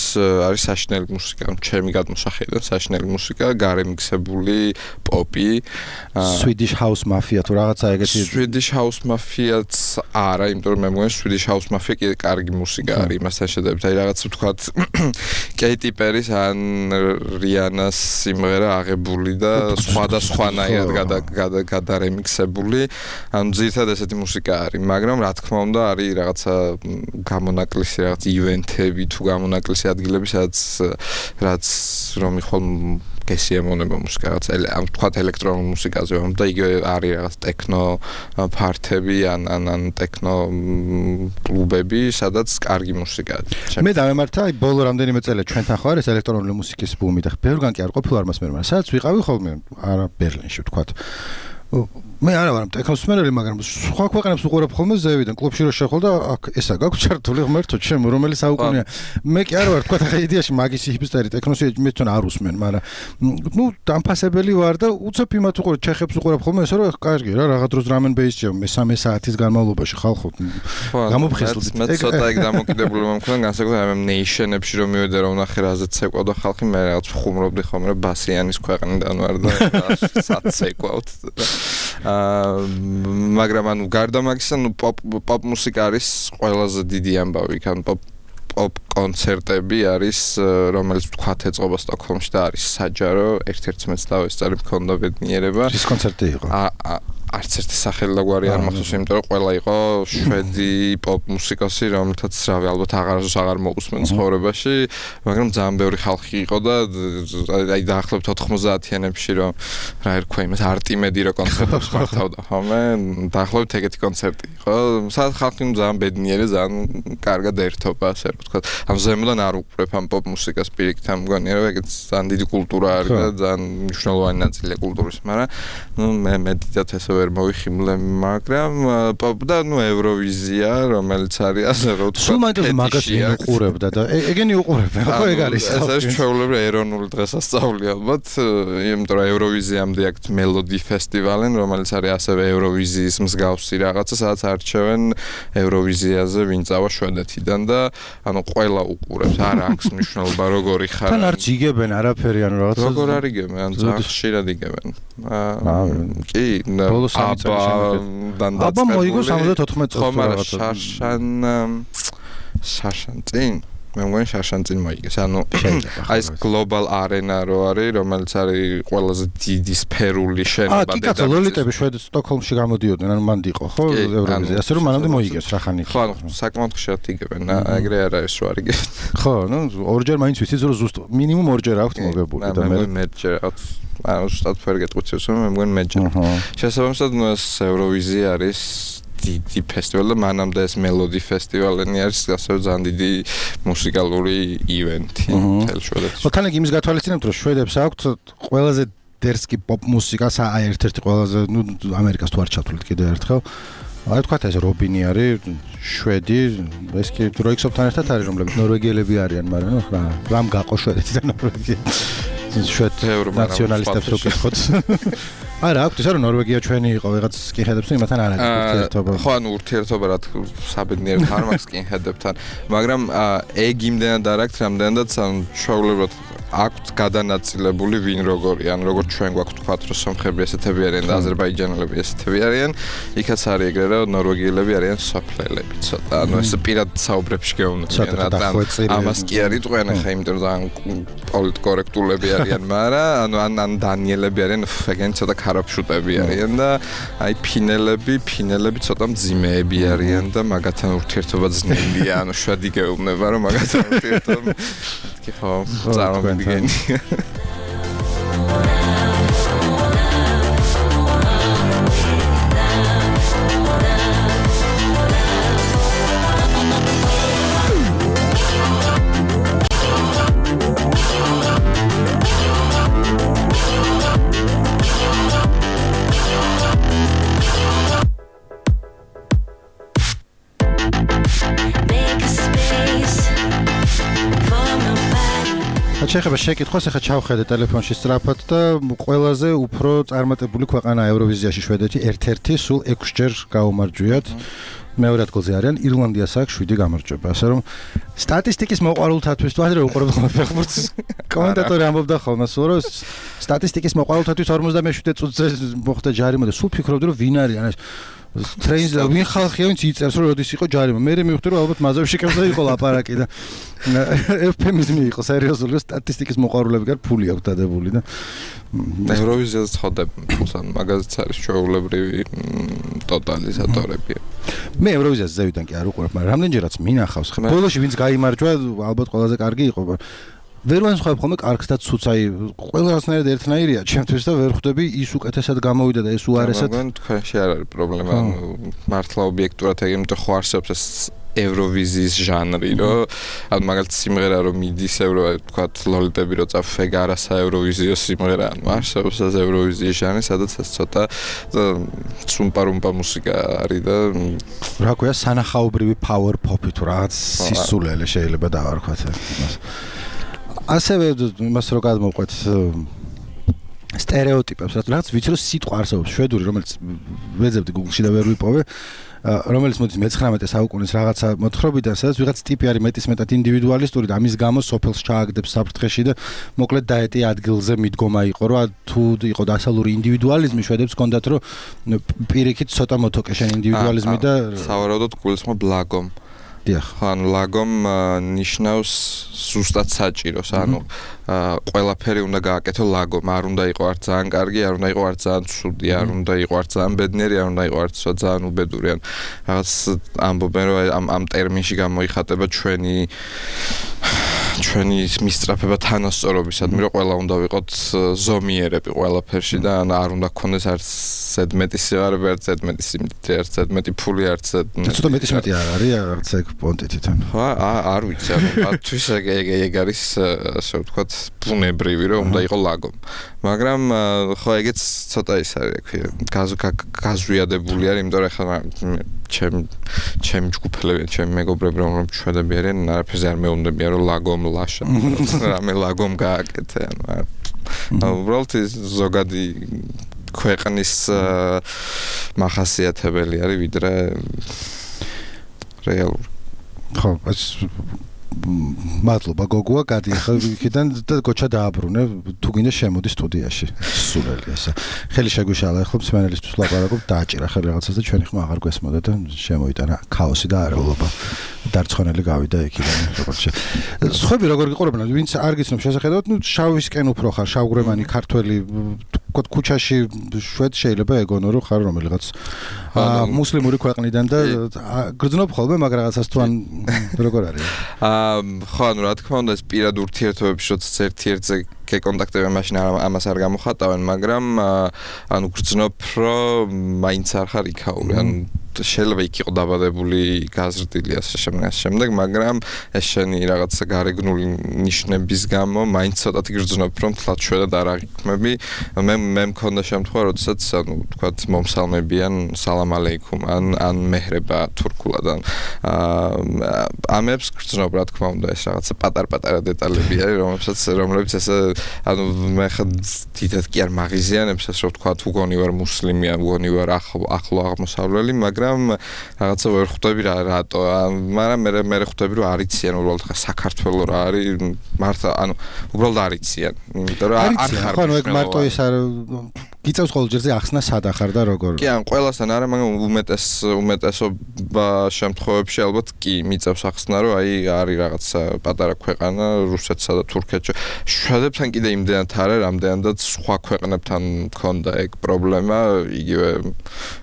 არის საშინელი მუსიკა, ჩემი გადმოსახედიდან საშინელი მუსიკა, გარემიქსებული პოპი, Swedish House Mafia თუ რაღაცა ეგეთი. Swedish House Mafia-ც არა, იმიტომ რომ მე მგონი Swedish House Mafia კი კარგი მუსიკა არის იმასთან შედარებით. აი რაღაც ვთქვათ Katy Perry-ს ან Rihanna-ს სიმღერა აღებული და სხვადასხვანაირად გადარემიქსებული, ანუ ძირითადად ესეთი მუსიკა არის. მაგრამ რა თქმა უნდა არის რაღაცა გამონაკლისი რაღაც ივენთები თუ გამონაკლისი ადგილები რაც რომ იხვალ გესიამონება მუსიკა რაღაც ამ თქვათ ელექტრონულ მუსიკაზე რომ და იგივე არის რაღაც ტექნო ფართები ან ტექნო კლუბები სადაც კარგი მუსიკაა. მე დავემართა აი ბოლო რამდენიმე წელი ჩვენთან ხო არის ელექტრონული მუსიკის ბუმი და ბევრგან კი არ ყოფილა მას მე მაგრამ სადაც ვიყავი ხოლმე არა ბერლინში ვთქვათ მე არა ვარ ტექნოს მერელი, მაგრამ სხვა ქვეყნებს უყურებ ხოლმე ზევიდან, კლუბში რო შეხვალ და აქ ესა გაქვს ჩართული ღმერთო ჩემ, რომელი საუკუნეა. მე კი არა ვარ, თქვა ხა იდეაში მაგისი ჰიპსტერი ტექნოსი მე თვითონ არ უსმენ, მაგრამ ნუ დამფასებელი ვარ და უცებ იმათ უყურებ, ჩეხებს უყურებ ხოლმე ესა რომ კარგი რა, რაღაც დროს დრამ ენ ბეისია მე-3 საათის განმავლობაში ხალხო გამოფხიზლდით. მე ცოტა ეგ დამოკიდებული მომქნა, განსაკუთრებით ამ ნეიშენებში რომ მივედე რომ ნახე რაზეც ცეკვავდა ხალხი, მე რაღაც ხუმრობდი ხოლმე რომ ბასიანის ქვეყნიდან ვარ და სად ცეკვავთ. მაგრამ ანუ გარდა მაგისა ნუ პოპ მუსიკა არის ყველაზე დიდი ამბავი, ან პოპ კონცერტები არის, რომელიც თქვათ ეწყობა სტოკჰოლმში და არის საჯარო, ერთ-ერთი მეც დავესწარი მქონდა ბედნიერება. ის კონცერტი იყო? არც ერთი სახელი და გვარი არ მახსოვს, იმიტომ რომ ყველა იყო შვედი პოპ მუსიკოსი, რომელთაც რავი ალბათ აღარასდროს აღარ მოусმენ ცხოვრებაში, მაგრამ ძალიან ბევრი ხალხი იყო და აი დაახლოებით 90-იანებში რომ რა ერქვა იმას არტიმედი რო კონცერტებს მართავდა ხოლმე, დაახლოებით ეგეთი კონცერტი იყო. სადაც ხალხი ძალიან ბედნიერი, ძალიან კარგად ერთობა, ასე რომ ვთქვათ. ამ ზემოდან არ უყურებ ამ პოპ მუსიკას პირიქით, ამ მგონია რომ ეგეც ძალიან დიდი კულტურა არის და ძალიან მნიშვნელოვანი ნაწილია კულტურის, მაგრამ ნუ მე დიდად ესე ვერ მოვიხიმლე, მაგრამ პოპ და ნუ ევროვიზია, რომელიც არის ასე რომ ვთქვათ. სულ მაინტერესებს მაგას უყურებდა და ეგენი უყურებენ, ხო ეგ არის. ეს არის ჩვეულებრივი ეროვნული დღესასწაული ალბათ, იმიტომ რომ ევროვიზიამდე აქვს მელოდი ფესტივალი, რომელიც არის ასევე ევროვიზიის მსგავსი რაღაცა, სადაც არჩევენ ევროვიზიაზე ვინ წავა შვედეთიდან და ანუ ყველა უყურებს, არ აქვს მნიშვნელობა როგორი ხარ. თან არც იგებენ არაფერი ანუ რაღაცა. როგორ არ იგებენ, ან ძალიან ხშირად იგებენ. კი, აბა მოიგო 74 წელს რაღაცა. შარშან წინ მე მგონი შარშან წინ მოიგეს. ანუ აი ეს გლობალ არენა რო არის, რომელიც არის ყველაზე დიდი სფერული შენობა და კაცო ლოლიტები შვედეთში სტოკჰოლმში გამოდიოდნენ, ანუ მანდ იყო ხო ევროვიზია, ასე რომ მანამდე მოიგეს რა ხანი. ხო, საკმაოდ ხშირად იგებენ, ეგრე არ არის რო არ იგებენ. ხო, ნუ ორჯერ მაინც ვიცით რომ ზუსტ მინიმუმ ორჯერ აქვთ მოგებული და მე მეჯერ აქვს. ანუ ზუსტად ვერ გეტყვით, მე მგონი მეჯერ. შესაბამისად, ნუ ეს ევროვიზია არის დიდი ფესტივალი და მანამდე ეს მელოდი ფესტივალენი არის ასევე ძალიან დიდი მუსიკალური ივენთი მთელ შვედეთში. თან ეგ იმის გათვალისწინებთ რომ შვედებს აქვთ ყველაზე დერსკი პოპ მუსიკას აი ერთ-ერთი ყველაზე ნუ ამერიკას თუ არ ჩათვლით კიდევ ერთხელ. აი თქვათ ეს რობინი არის შვედი, ეს კი დროიქსობთან ერთად არის რომლებიც ნორვეგიელები არიან, მაგრამ ნუ რამ გაყო შვედეთიდან ნორვეგია. შვედ ნაციონალისტებს ვკითხოთ. არა, აქვთ ისე რომ ნორვეგია ჩვენი იყო, ვიღაც სკინჰედებს თუ იმათან არ არის ურთიერთობა. ხო, ანუ ურთიერთობა რა თქმა უნდა საბედნიეროდ არ მაქვს სკინჰედებთან, მაგრამ ეგ იმდენად არ აქვს, რამდენადაც ჩვეულებრივად აქვთ გადანაწილებული ვინ როგორი, ან როგორც ჩვენ გვაქვს თქვათ რომ სომხები ესეთები არიან და აზერბაიჯანელები ესეთები არიან, იქაც არის ეგრე რომ ნორვეგიელები არიან სოფლელები ცოტა, ანუ ეს პირად საუბრებში გეუბნებიან რა და ამას კი არ იტყვიან ახლა, იმიტომ რომ ძალიან პოლიტკორექტულები არიან, მაგრამ ან დანიელები არიან, ეგენი ცოტა ქარაფშუტები არიან და აი ფინელები ცოტა მძიმეები არიან და მაგათთან ურთიერთობა ძნელია, ანუ შვედი გეუბნება რომ მაგათთან ურთიერთობა კი ხო, წარმოვიდგენი. შეხება შეკითხვას ახლა ჩავხედე ტელეფონში სწრაფად და ყველაზე უფრო წარმატებული ქვეყანა ევროვიზიაში შვედეთი ერთ-ერთი სულ 6 ჯერ გაუმარჯვიათ. მეორე ადგილზე არიან ირლანდიას აქვს 7 გამარჯვება. ასე რომ სტატისტიკის მოყვარულთათვის თუ ადრე უყურებთ ფეხბურთს კომენტატორი ამბობდა ხოლმე სულ რომ სტატისტიკის მოყვარულთათვის 57 წუთზე მოხდა ჯარიმა და სულ ფიქრობდი რომ ვინ არის ანუ ტრეინს და ვინ ხალხია ვინც იწერს რომ როდის იყო ჯარიმა. მე მივხვდი რომ ალბათ მაზოვში კემზე იყო ლაპარაკი და ეფემიზმი იყო სერიოზული სტატისტიკის მოყვარულები გარ ფული აქვს დადებული და ევროვიზიაზე ხდება თუმცა მაგაზეც არის ჩვეულებრივი ტოტალიზატორები. მე ევროვიზიაზე ზევიდან კი არ უყურებ, მაგრამ რამდენჯერაც მინახავს. ბოლოში ვინც გაიმარჯვა, ალბათ ყველაზე კარგი იყო. ვერ ვანსხვავებ ხოლმე კარგს და ცუცს, აი ყველა რაღაცნაირად ერთნაირია ჩემთვის და ვერ ხვდები ის უკეთესად გამოვიდა და ეს უარესად. მაგრამ თქვენში არ არის პრობლემა, მართლა ობიექტურად ეგ იმიტომ ხო არსებობს ეს ევროვიზიის ჟანრი, რომ ანუ მაგალითად სიმღერა რომ მიდის თქვათ ლოლიტები რო წაფეგარა საევროვიზიო სიმღერა, ანუ არსებობს ეს ევროვიზიის ჟანრი, სადაც ეს ცოტა სუმპარუმპა მუსიკა არის და რა ქვია სანახაობრივი power pop-ი თუ რაღაც სისულელე შეიძლება დავარქვათ იმას. ასევე იმას რო გადმოვყვეთ სტერეოტიპებს, რაც ვიცი რომ სიტყვა არსებობს შვედური, რომელიც ვეძებდი Google-ში და ვერ ვიპოვე, რომელიც მოდის მე-19 საუკუნის რაღაცა მოთხრობიდან, სადაც ვიღაც ტიპი არის მეტისმეტად ინდივიდუალისტური და ამის გამო სოფელს ჩააგდებს საფრთხეში და მოკლედ დაეტი ადგილზე მიდგომა იყო, რომ თუ იყო დასავლური ინდივიდუალიზმი, შვედებს ჰქონდათ რომ პირიქით ცოტა მოთოკე შენ ინდივიდუალიზმი და სავარაუდოდ გულისხმობ ლაგომ. დიახ. ანუ ლაგომ ნიშნავს ზუსტად საჭიროს, ანუ ყველაფერი უნდა გააკეთო ლაგომ, არ უნდა იყო არც ძალიან კარგი, არ უნდა იყო არც ძალიან ცუდი, არ უნდა იყო არც ძალიან ბედნიერი, არ უნდა იყო არც ძალიან უბედური, ან რაღაც ამბობენ რომ ამ ტერმინში გამოიხატება ჩვენი მისწრაფება თანასწორობისადმი, რომ ყველა უნდა ვიყოთ ზომიერები ყველაფერში და არ უნდა გქონდეს არც ზედმეტი სიღარიბე, არც ზედმეტი სიმდიდრე, არც ზედმეტი ფული, არც ცოტა მეტისმეტი არ არის რაღაც ეგ პონტი თვითონ. არ ვიცი, ანუ მათთვის ეგ არის ასე ვთქვათ ბუნებრივი, რომ უნდა იყო ლაგომ. მაგრამ ხო ეგეც ცოტა ის არის, გაზვიადებული არის, იმიტომ რომ ახლა ჩემი ჯგუფელები, ჩემი მეგობრები რომ შვედები არიან, არაფერზე არ მეუბნებიან რომ ლაგომ ლაშა, რამე ლაგომ გააკეთე, ანუ უბრალოდ ზოგადი ქვეყნის მახასიათებელი არის ვიდრე რეალური. ხო, ეს მადლობა გოგოა, გადი ახლა იქიდან და გოჩა დააბრუნე, თუ გინდა შემოდი სტუდიაში. სულელი ესა. ხელი შეგვიშალა ახლა მსმენელისთვის ლაპარაკობ, დააჭირა ხელი რაღაცას და ჩვენი ხმა აღარ გვესმოდა და შემოიტანა ქაოსი და არეულობა. დარწმუნებული გავიდა იქიდან როგორც სხვები როგორ გიყურებენ, ვინც არ გიცნობ შესახედავად, ნუ შავისკენ უფრო ხარ, შავღრემანი ქართველი ქუჩაში შვედ შეიძლება ეგონო რომ ხარ რომელიღაც მუსლიმური ქვეყნიდან და გრძნობ ხოლმე მაგ რაღაცას თუ ან როგორ არის? ხო, ანუ რა თქმა უნდა ეს პირად ურთიერთობებში როდესაც ერთ-ერთზე გეკონტაქტებენ, მაშინ ამას არ გამოხატავენ, მაგრამ ანუ გრძნობ რომ მაინც არ ხარ იქაური, ანუ შეიძლება იქ იყო დაბადებული გაზრდილი ასე შემდეგ, მაგრამ ეს შენი რაღაცა გარეგნული ნიშნების გამო მაინც ცოტათი გრძნობ რომ თლად შვედად არ აღიქმები. მე მქონდა შემთხვევა, როდესაც ანუ თქვათ მომსალმებიან სალამ ალეიქუმ ან მეჰრება თურქულად ან ამებს გრძნობ რა თქმა უნდა ეს რაღაცა პატარ-პატარა დეტალები არის, რომლებიც ესე ანუ მე ხა თითქოს კი არ მაღიზიანებს ეს რომ თქვათ უგონი ვარ მუსლიმი ან უგონი ვარ ახლო აღმოსავლელი, მაგრამ რაღაცა ვერ ხვდები რატო, მაგრამ მე ხვდები რომ არიციან უბრალოდ ხა საქართველოს რა არის, მართლა ანუ უბრალოდ არიციან, იმიტომ რომ არ ხარ. ხო, ეგ მარტო ის არ გიწევს ყოველ ჯერზე ახსნა სად ახარ და როგორ. კი, ან ყველასთან არა, მაგრამ უმეტესობა შემთხვევებში ალბათ კი მიწევს ახსნა, რომ აი არის რაღაცა პატარა ქვეყანა რუსეთსა და თურქეთში. შვედებთან კიდე იმდენად არა, რამდენადაც სხვა ქვეყნებთან მქონდა ეგ პრობლემა, იგივე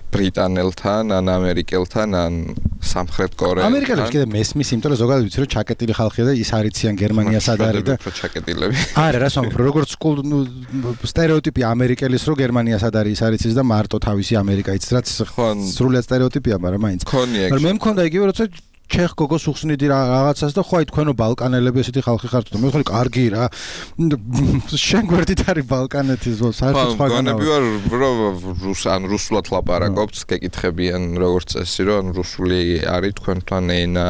ბრიტანელთან, ან ამერიკელთან, ან სამხრეთ კორეელთან. ამერიკელებს კიდე მესმის, იმიტომ რომ ზოგადად ვიცი რომ ჩაკეტილი ხალხია და ის არიციან გერმანია სად არის და ჩაკეტილები. არა, რას ვამბობ, როგორც სტერეოტიპი ამერიკელის რომ გერმანია სად არის ის არიცის და მარტო თავისი ამერიკა იცის, რაც სრულად სტერეოტიპია, მაგრამ მაინც. მაგრამ მე მქონდა იგივე როცა ჩეხ გოგოს უხსნიდი რაღაცას და ხო აი თქვენო ბალკანელები ესეთი ხალხი ხართ და მე ხარ კარგი რა შენ გვერდით არის ბალკანეთის საერთოდ სხვა განავა. გონები ვარ ან რუსულად ლაპარაკობთ, გეკითხებიან როგორც წესი რომ რუსული არის თქვენთან ენა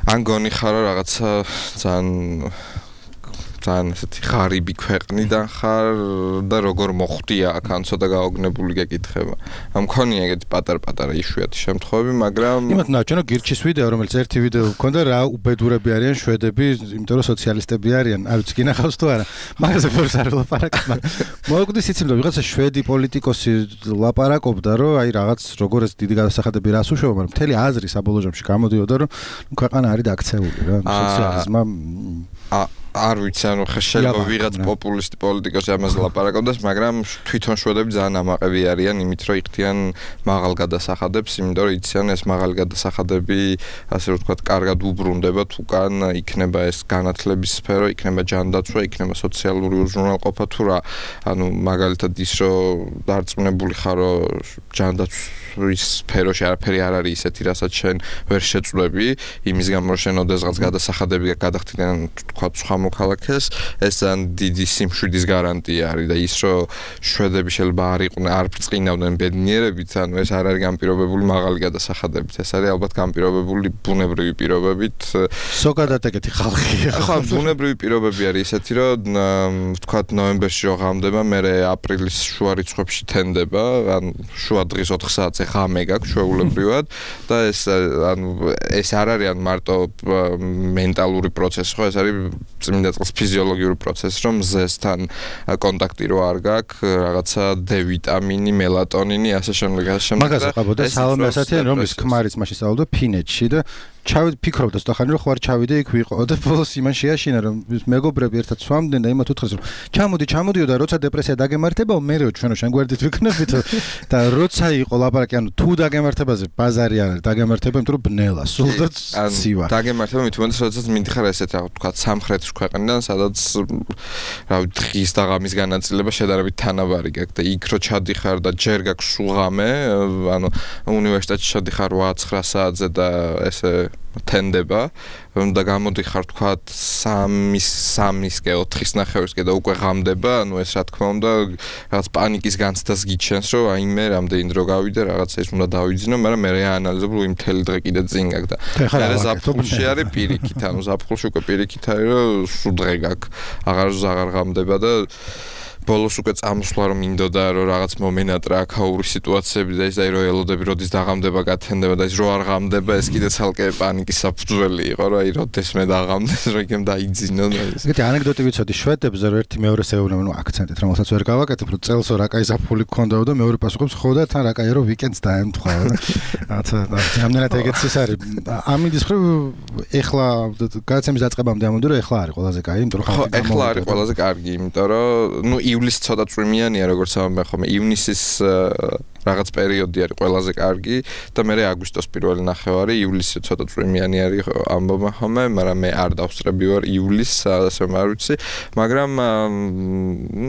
ან გონი ხარო რაღაცა ძალიან ესეთი ღარიბი ქვეყნიდან ხარ და როგორ მოხვდია აქ ან ცოტა გაოგნებული გეკითხება. მქონია ეგეთი პატარ-პატარა იშვიათი შემთხვევები, მაგრამ იმათ ნაჩვენო გირჩის ვიდეო, რომელიც ერთი ვიდეო ჰქონდა, რა უბედურები არიან შვედები, იმიტომ რომ სოციალისტები არიან, არ ვიცი გინახავს თუ არა. მაგაზე ფორს არ ვლაპარაკებ, მაგრამ მოგვდის იცი რომ ვიღაცა შვედი პოლიტიკოსი ლაპარაკობდა, რომ აი რაღაც როგორ ეს დიდი გადასახადები რას უშვება, მაგრამ მთელი აზრი საბოლოო ჯამში გამოდიოდა, რომ ქვეყანა არის დაქცეული რა, სოციალიზმმა არ ვიცი, ანუ შეიძლება ვიღაც პოპულისტი პოლიტიკოსი ამაზე ლაპარაკობდეს, მაგრამ თვითონ შვედები ძალიან ამაყები არიან იმით, რომ იხდიან მაღალ გადასახადებს, იმიტომ რომ იციან ეს მაღალი გადასახადები, ასე რომ ვთქვათ, კარგად უბრუნდებათ უკან, იქნება ეს განათლების სფერო, იქნება ჯანდაცვა, იქნება სოციალური უზრუნველყოფა თუ რა. ანუ მაგალითად ის რომ დარწმუნებული ხარ, რომ ჯანდაცვის სფეროში არაფერი არ არის ისეთი, რასაც შენ ვერ შეწვდები, იმის გამო რომ შენ ოდესღაც გადასახადები გადახდიდან თქვა სხვა მოქალაქეს, ეს ძალიან დიდი სიმშვიდის გარანტია არის და ის რომ შვედები შეიძლება არ ბრწყინავდნენ ბედნიერებით, ანუ ეს არ არის განპირობებული მაღალი გადასახადებით, ეს არის ალბათ განპირობებული ბუნებრივი პირობებით. ზოგადად ეგეთი ხალხია. ხო, ბუნებრივი პირობები არის ესეთი, რომ ვთქვათ ნოემბერში რო ღამდება, მერე აპრილის შუა რიცხვებში თენდება, ან შუა დღის 4 საათზე ღამე გაქვს ჩვეულებრივად და ეს არ არის ან მარტო მენტალური პროცესი, ხო, ეს არის წმინდა წყლის ფიზიოლოგიური პროცესი, რომ მზესთან კონტაქტი რო არ გაქვს, რაღაცა D ვიტამინი, მელატონინი, ასე შემდეგ. მაგაზე ყავდა სალომე ასათიანი, რომლის ქმარიც მაშინ სწავლობდა ფინეთში და ფიქრობდა ცოტახანი რომ ხوار ჩავიდე იქ ვიყო და ბოლოს იმან შეაშინა რომ მეგობრები ერთად სვამდნენ და იმათ უთხრეს რომ ჩამოდიო და როცა დეპრესია დაგემართებაო მერეო ჩვენო შენ გვერდით ვიქნებით და როცა იყო ლაპარაკი ანუ თუ დაგემართებაზე ბაზარი არ არის დაგემართება იმიტომ რომ ბნელა სულდაც ცივა დაგემართება მით უმეტეს როდესაც მიდიხარ ესეთ რა ვთქვა სამხრეთის ქვეყნიდან სადაც რა დღის და ღამის განაწილება შედარებით თანაბარი გაქვს და იქ რო ჩადიხარ და ჯერ გაქვს სულღამე ანუ უნივერსიტეტში ჩადიხარ 8-9 საათზე და ესე თენდება და გამოდიხარ თქვა 3-4-ისკე 4-9-ისკე და უკვე ღამდება ანუ ეს რა თქმა უნდა რაღაც პანიკის განცდას გიჩენს რომ აი მე რამდენი დრო გავიდე რაღაცა ის უნდა დავიძინო მაგრამ მე რეანალიზებ რომ იმ მთელი დღე კიდე წინ გაქვს და მე ზაფხულში არის პირიქით ანუ ზაფხულში უკვე პირიქით არის რომ სულ დღე გაქვს აღარ ღამდება და ბოლოს უკვე წამოსვლა რომ მინდოდა რომ რაღაც მომენატრა აქაური სიტუაციები და ის აი რო ელოდები როდის დაღამდება გათენდება და ის რო არ ღამდება ეს კიდე ცალკე პანიკის საფუძველი იყო რომ აი როდეს მე დაღამდეს რომ იქემ დაიძინო და ის ეგეთი ანეკდოტი ვიცოდი შვედებზე რომ ერთი მეორეს ეუბნება ნუ აქცენტით რომელსაც ვერ გავაკეთებ რომ წელსო რაკაი ზაფხული გქონდაო და მეორე პასუხობს ხო და თან რაკაი რომ ვიკენდს დაემთხვა რაღაცა ამდენად ეგეც ის არის ამინდის ხრო ეხლა გადაცემის დაწყებამდე ამბობდი რომ ეხლა არის ყველაზე კაი იმიტომ რომ ხო ეხლა არის ყველაზე კარგი იმიტომ რომ ნუ ივლისი ცოტა წვიმიანია როგორც ამბობ ხოლმე ივნისის რაღაც პერიოდი არის ყველაზე კარგი და მე აგვისტოს პირველი ნახევარი ივლისი ცოტა წვიმიანი არის ამბობ ხოლმე მაგრამ მე არ დავსწრები ვარ ივლისს ასე არ ვიცი მაგრამ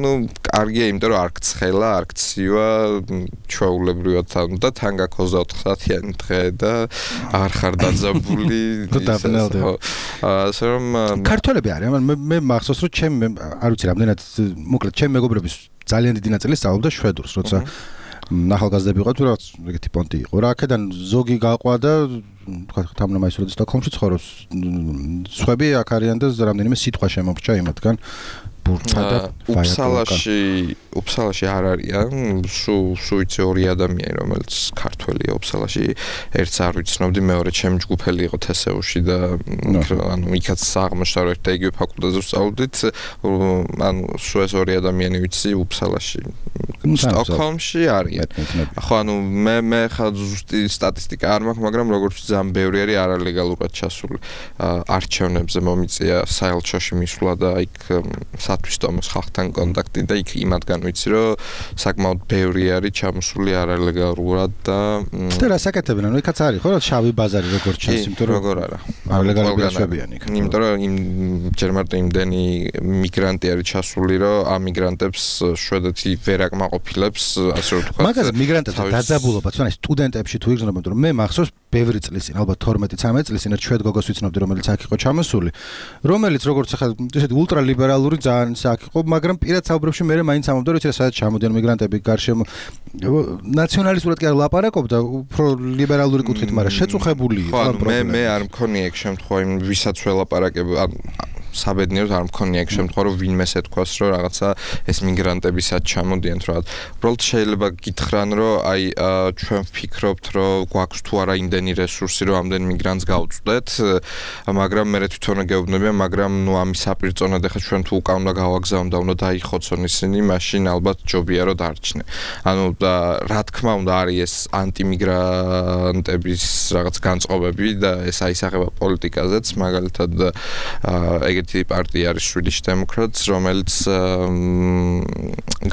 ნუ კარგია იმიტომ რომ არ გცხელა არ გცივა ჩვეულებრივად და თან გაქვს 24 საათიანი დღე და არ ხარ დაძაბული ასე რომ ქართველები არიან მე მახსოვს რომ ჩემ არ ვიცი რამდენად მოკლედ ჩემ მეგობრების ძალიან დიდი ნაწილი სწავლობდა შვედურს როცა ახალგაზრდები იყო თუ რაღაც ეგეთი პონტი იყო რა აქედან ზოგი გაყვა და თქვა თამნამაისურაძე სტოკჰოლმში ცხოვრობს სხვები აქ არიან და რამდენიმე სიტყვა შემოგვჭა იმათგან ბურთა და უფსალაში არ არიან სუიცი ორი ადამიანი რომელიც ქართველია უფსალაში ერთს არ ვიცნობდი მეორე ჩემი ჯგუფელი იყო თესეუში და ანუ იქაც აღმოჩნდა რომ ერთ იგივე ფაკულტეტზე ვსწავლდით ანუ სულ ეს ორი ადამიანი ვიცი უფსალაში სტოკჰოლმში არიან ხო ანუ მე ხა ზუსტი სტატისტიკა არ მაქვს მაგრამ როგორც ძალიან ბევრი არის არალეგალურად ჩასული არჩევნებზე მომიწია საელჩოში მისვლა და იქ სათვისტომოს ხალხთან კონტაქტი და იქ იმათგან ვიცი რომ საკმაოდ ბევრი არის ჩამოსული არალეგალურად და რა საკეთებენ ანუ იქაც არის ხო რა შავი ბაზარი როგორც ჩანს იმიტომ რომ როგორ არა არალეგალურად შვებიან იქ იმიტომ რომ ჯერ მარტო იმდენი მიგრანტი არის ჩასული რომ ამ მიგრანტებს შვედეთი ვერ აკმაყოფილებს ასე რომ თქვა მაგაზე მიგრანტებთან დაძაბულობა თუნდაც სტუდენტებში თუ იგრძნობენ რომ მე მახსოვს ბევრი წლის წინ ალბათ 12-13 წლის წინ ერთ შვედ გოგოს ვიცნობდი რომელიც აქ იყო ჩამოსული რომელიც როგორც ახლა ესეთი ულტრალიბერალური ძალიან აქ იყო მაგრამ პირად საუბრებში მე მაინც ამბობდა რომ სადაც ჩამოდიან მიგრანტები გარშემო ნაციონალისტურად კი არ ლაპარაკობდა უფრო ლიბერალური კუთხით მაგრამ შეწუხებული იყო მე არ მქონია ეგ შემთხვევა ვისაც ველაპარაკებ საბედნიეროდ არ მქონია ეგ შემთხვევა რომ ვინმეს ეთქვას რომ რაღაცა ეს მიგრანტებისაც ჩამოდიან თუ რაღაც უბრალოდ შეიძლება გითხრან რომ აი ჩვენ ვფიქრობთ რომ გვაქვს თუ არა იმდენი რესურსი რომ ამდენ მიგრანტს გავწვდეთ მაგრამ მე თვითონ გეუბნებიან მაგრამ ნუ ამის საპირწონედ ახლა ჩვენ თუ უკან უნდა გავაგზავნო და უნდა დაიხოცონ ისინი მაშინ ალბათ ჯობია რომ დარჩნენ ანუ და რა თქმა უნდა არის ეს ანტიმიგრანტების რაღაც განწყობები და ეს აისახება პოლიტიკაზეც მაგალითად ეგეთი პარტია არის Swedish Democrats რომელიც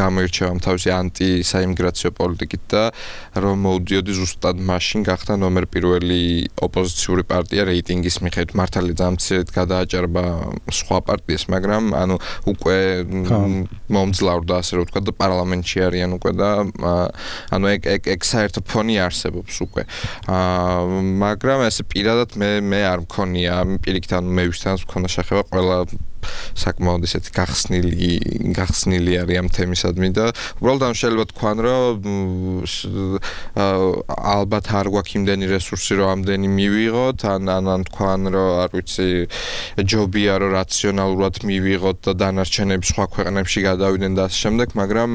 გამოირჩევა თავისი ანტისაიმიგრაციო პოლიტიკით და რომ მოვდიოდი ზუსტად მაშინ გახდა ნომერ პირველი ოპოზიციური პარტია რეიტინგის მიხედვით მართალია ძამცირად გადააჭარბა სხვა პარტიას მაგრამ ანუ უკვე მომძლავრდა ასე რომ ვთქვა და პარლამენტში არიან უკვე და ანუ ეგ საერთო ფონი არსებობს უკვე მაგრამ ესე პირადად მე არ მქონია პირიქით ანუ მე ვისთანაც მქონდა შეხება ყველა საკმაოდ ისეთი გახსნილი არის ამ თემისადმი და უბრალოდ ამ შეიძლება თქვან რომ ალბათ არ გვაქვს იმდენი რესურსი რომ ამდენი მივიღოთ ან თქვან რომ არ ვიცი ჯობია რომ რაციონალურად მივიღოთ და დანარჩენები სხვა ქვეყნებში გადავიდნენ და ასე შემდეგ მაგრამ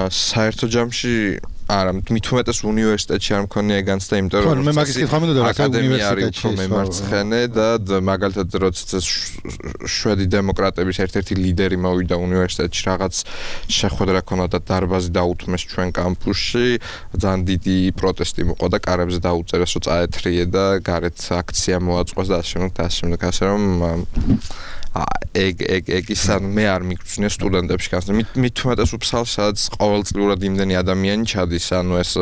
საერთო ჯამში არა მით უმეტეს უნივერსიტეტში არ მქონია განცდა იმიტომ რომ მე მაგის კითხვა მინდოდა რა უნივერსიტეტში მემარცხენე და მაგალითად როცა შვედი დემოკრატების ერთ-ერთი ლიდერი მოვიდა უნივერსიტეტში რაღაც შეხვედრა ქონდა და დარბაზი დაუთმეს ჩვენ კამპუსში ძალიან დიდი პროტესტი მოყვა და კარებზე დაუწერეს რომ წაეთრიე და გარეთ აქცია მოაწყვეს და ასე შემდეგ ასე რომ ეგ ის ან მე არ მიგწვნია სტუდენტებში განსა მით უმეტეს უფსალს სადაც ყოველწლიურად იმდენი ადამიანი ჩადის ანუ ეს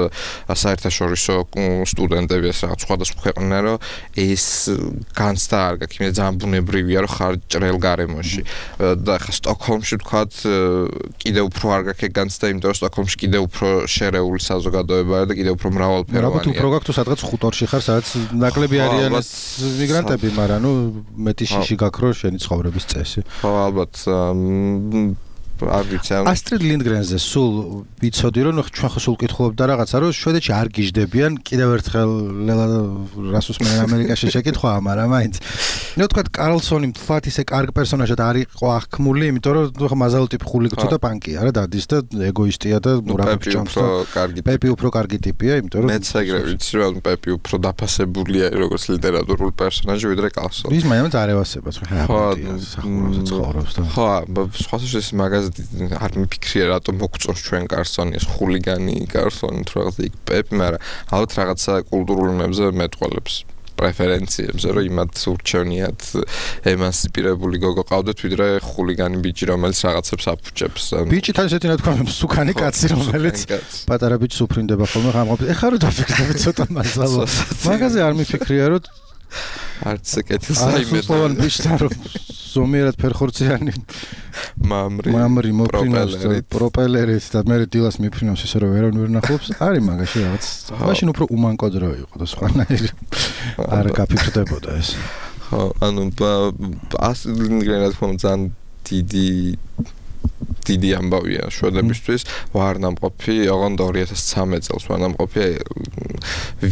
საერთაშორისო სტუდენტები ეს რაღაც სხვადასხვა ქვეყნიდან რომ ეს განცდა არ გაქვს იმედი ძალიან ბუნებრივია რომ ხარ ჭრელ გარემოში და ხა სტოკჰოლმში ვთქვათ კიდევ უფრო არ გაქვს ეგ განცდა იმიტომ რომ სტოკჰოლმში კიდევ უფრო შერეული საზოგადოებაა და კიდევ უფრო მრავალფეროვანია ალბათ უფრო გაქვს თუ სადღაც ხუტორში ხარ სადაც ნაკლები არიან ეს მიგრანტები მაგრამ ნუ მეტი შიში გაქვს რომ შენი ცხოვრების წესი ხო ალბათ არ ვიცი ასტრიდ ლინდგრენზე სულ ვიცოდი რომ ჩვენ ხო სულ კითხულობდა რაღაცა რომ შვედეთში არ გიждდებიან კიდევ ერთხელ რასუს მე ამერიკაში შეკითხვა მაგრამ მაინც ნუ თქვა კარლსონი მთლად ისე კარგ პერსონაჟად არ იყო აღქმული იმიტომ რომ ხო მაზალ ტიპი ხული ცოტა პანკია რა დადის და ეგოისტია და მურაბებს ჭამს პეპი უფრო კარგი ტიპია იმიტომ რომ მეც ეგრე ვიცი რომ πეპი უფრო დაფასებულია როგორც ლიტერატურული პერსონაჟი ვიდრე კარლსონი ის მაინც არ ევასება ხო სხვა ეს მაგაზ არ მიფიქრია რატომ მოგწონს ჩვენ კარლსონი ეს ხულიგანი კარლსონი თუ რაღაცა იქ პეპი მაგრამ ალბათ რაღაცა კულტურულ უნებზე მეტყოლებს პრეფერენციებზე რომ იმათ ურჩევნიათ ემანსიპირებული გოგო ყავდეთ ვიდრე ხულიგანი ბიჭი რომელიც რაღაცებს აფუჭებს ბიჭი თან ესეთი რა თქვა მსუქანი კაცი რომელიც პატარა ბიჭს უფრინდება ხოლმე ხამყოფ ეხლა რომ დაფიქრდები ცოტა მასალა მაგაზე არ მიფიქრია რომ არც კეთილს აიმედა სულოვან ბიჭთან რომ ზომიერად ფერხორციანი მამრი მოფრინავს პროპელერით და მე დილას მიფრინავს ისე რომ ვერავინ ვერ ნახობს არის მაგაში რაღაც მაშინ უფრო უმანკო დრო იყო და სხვანაირი არ გაფიქრდებოდა ეს ხო ანუ ასლინგრენად ხომ ძალიან დიდი ამბავია შვედებისთვის ვარნამყოფი ოღონდ 2013 წელს ვარნამყოფი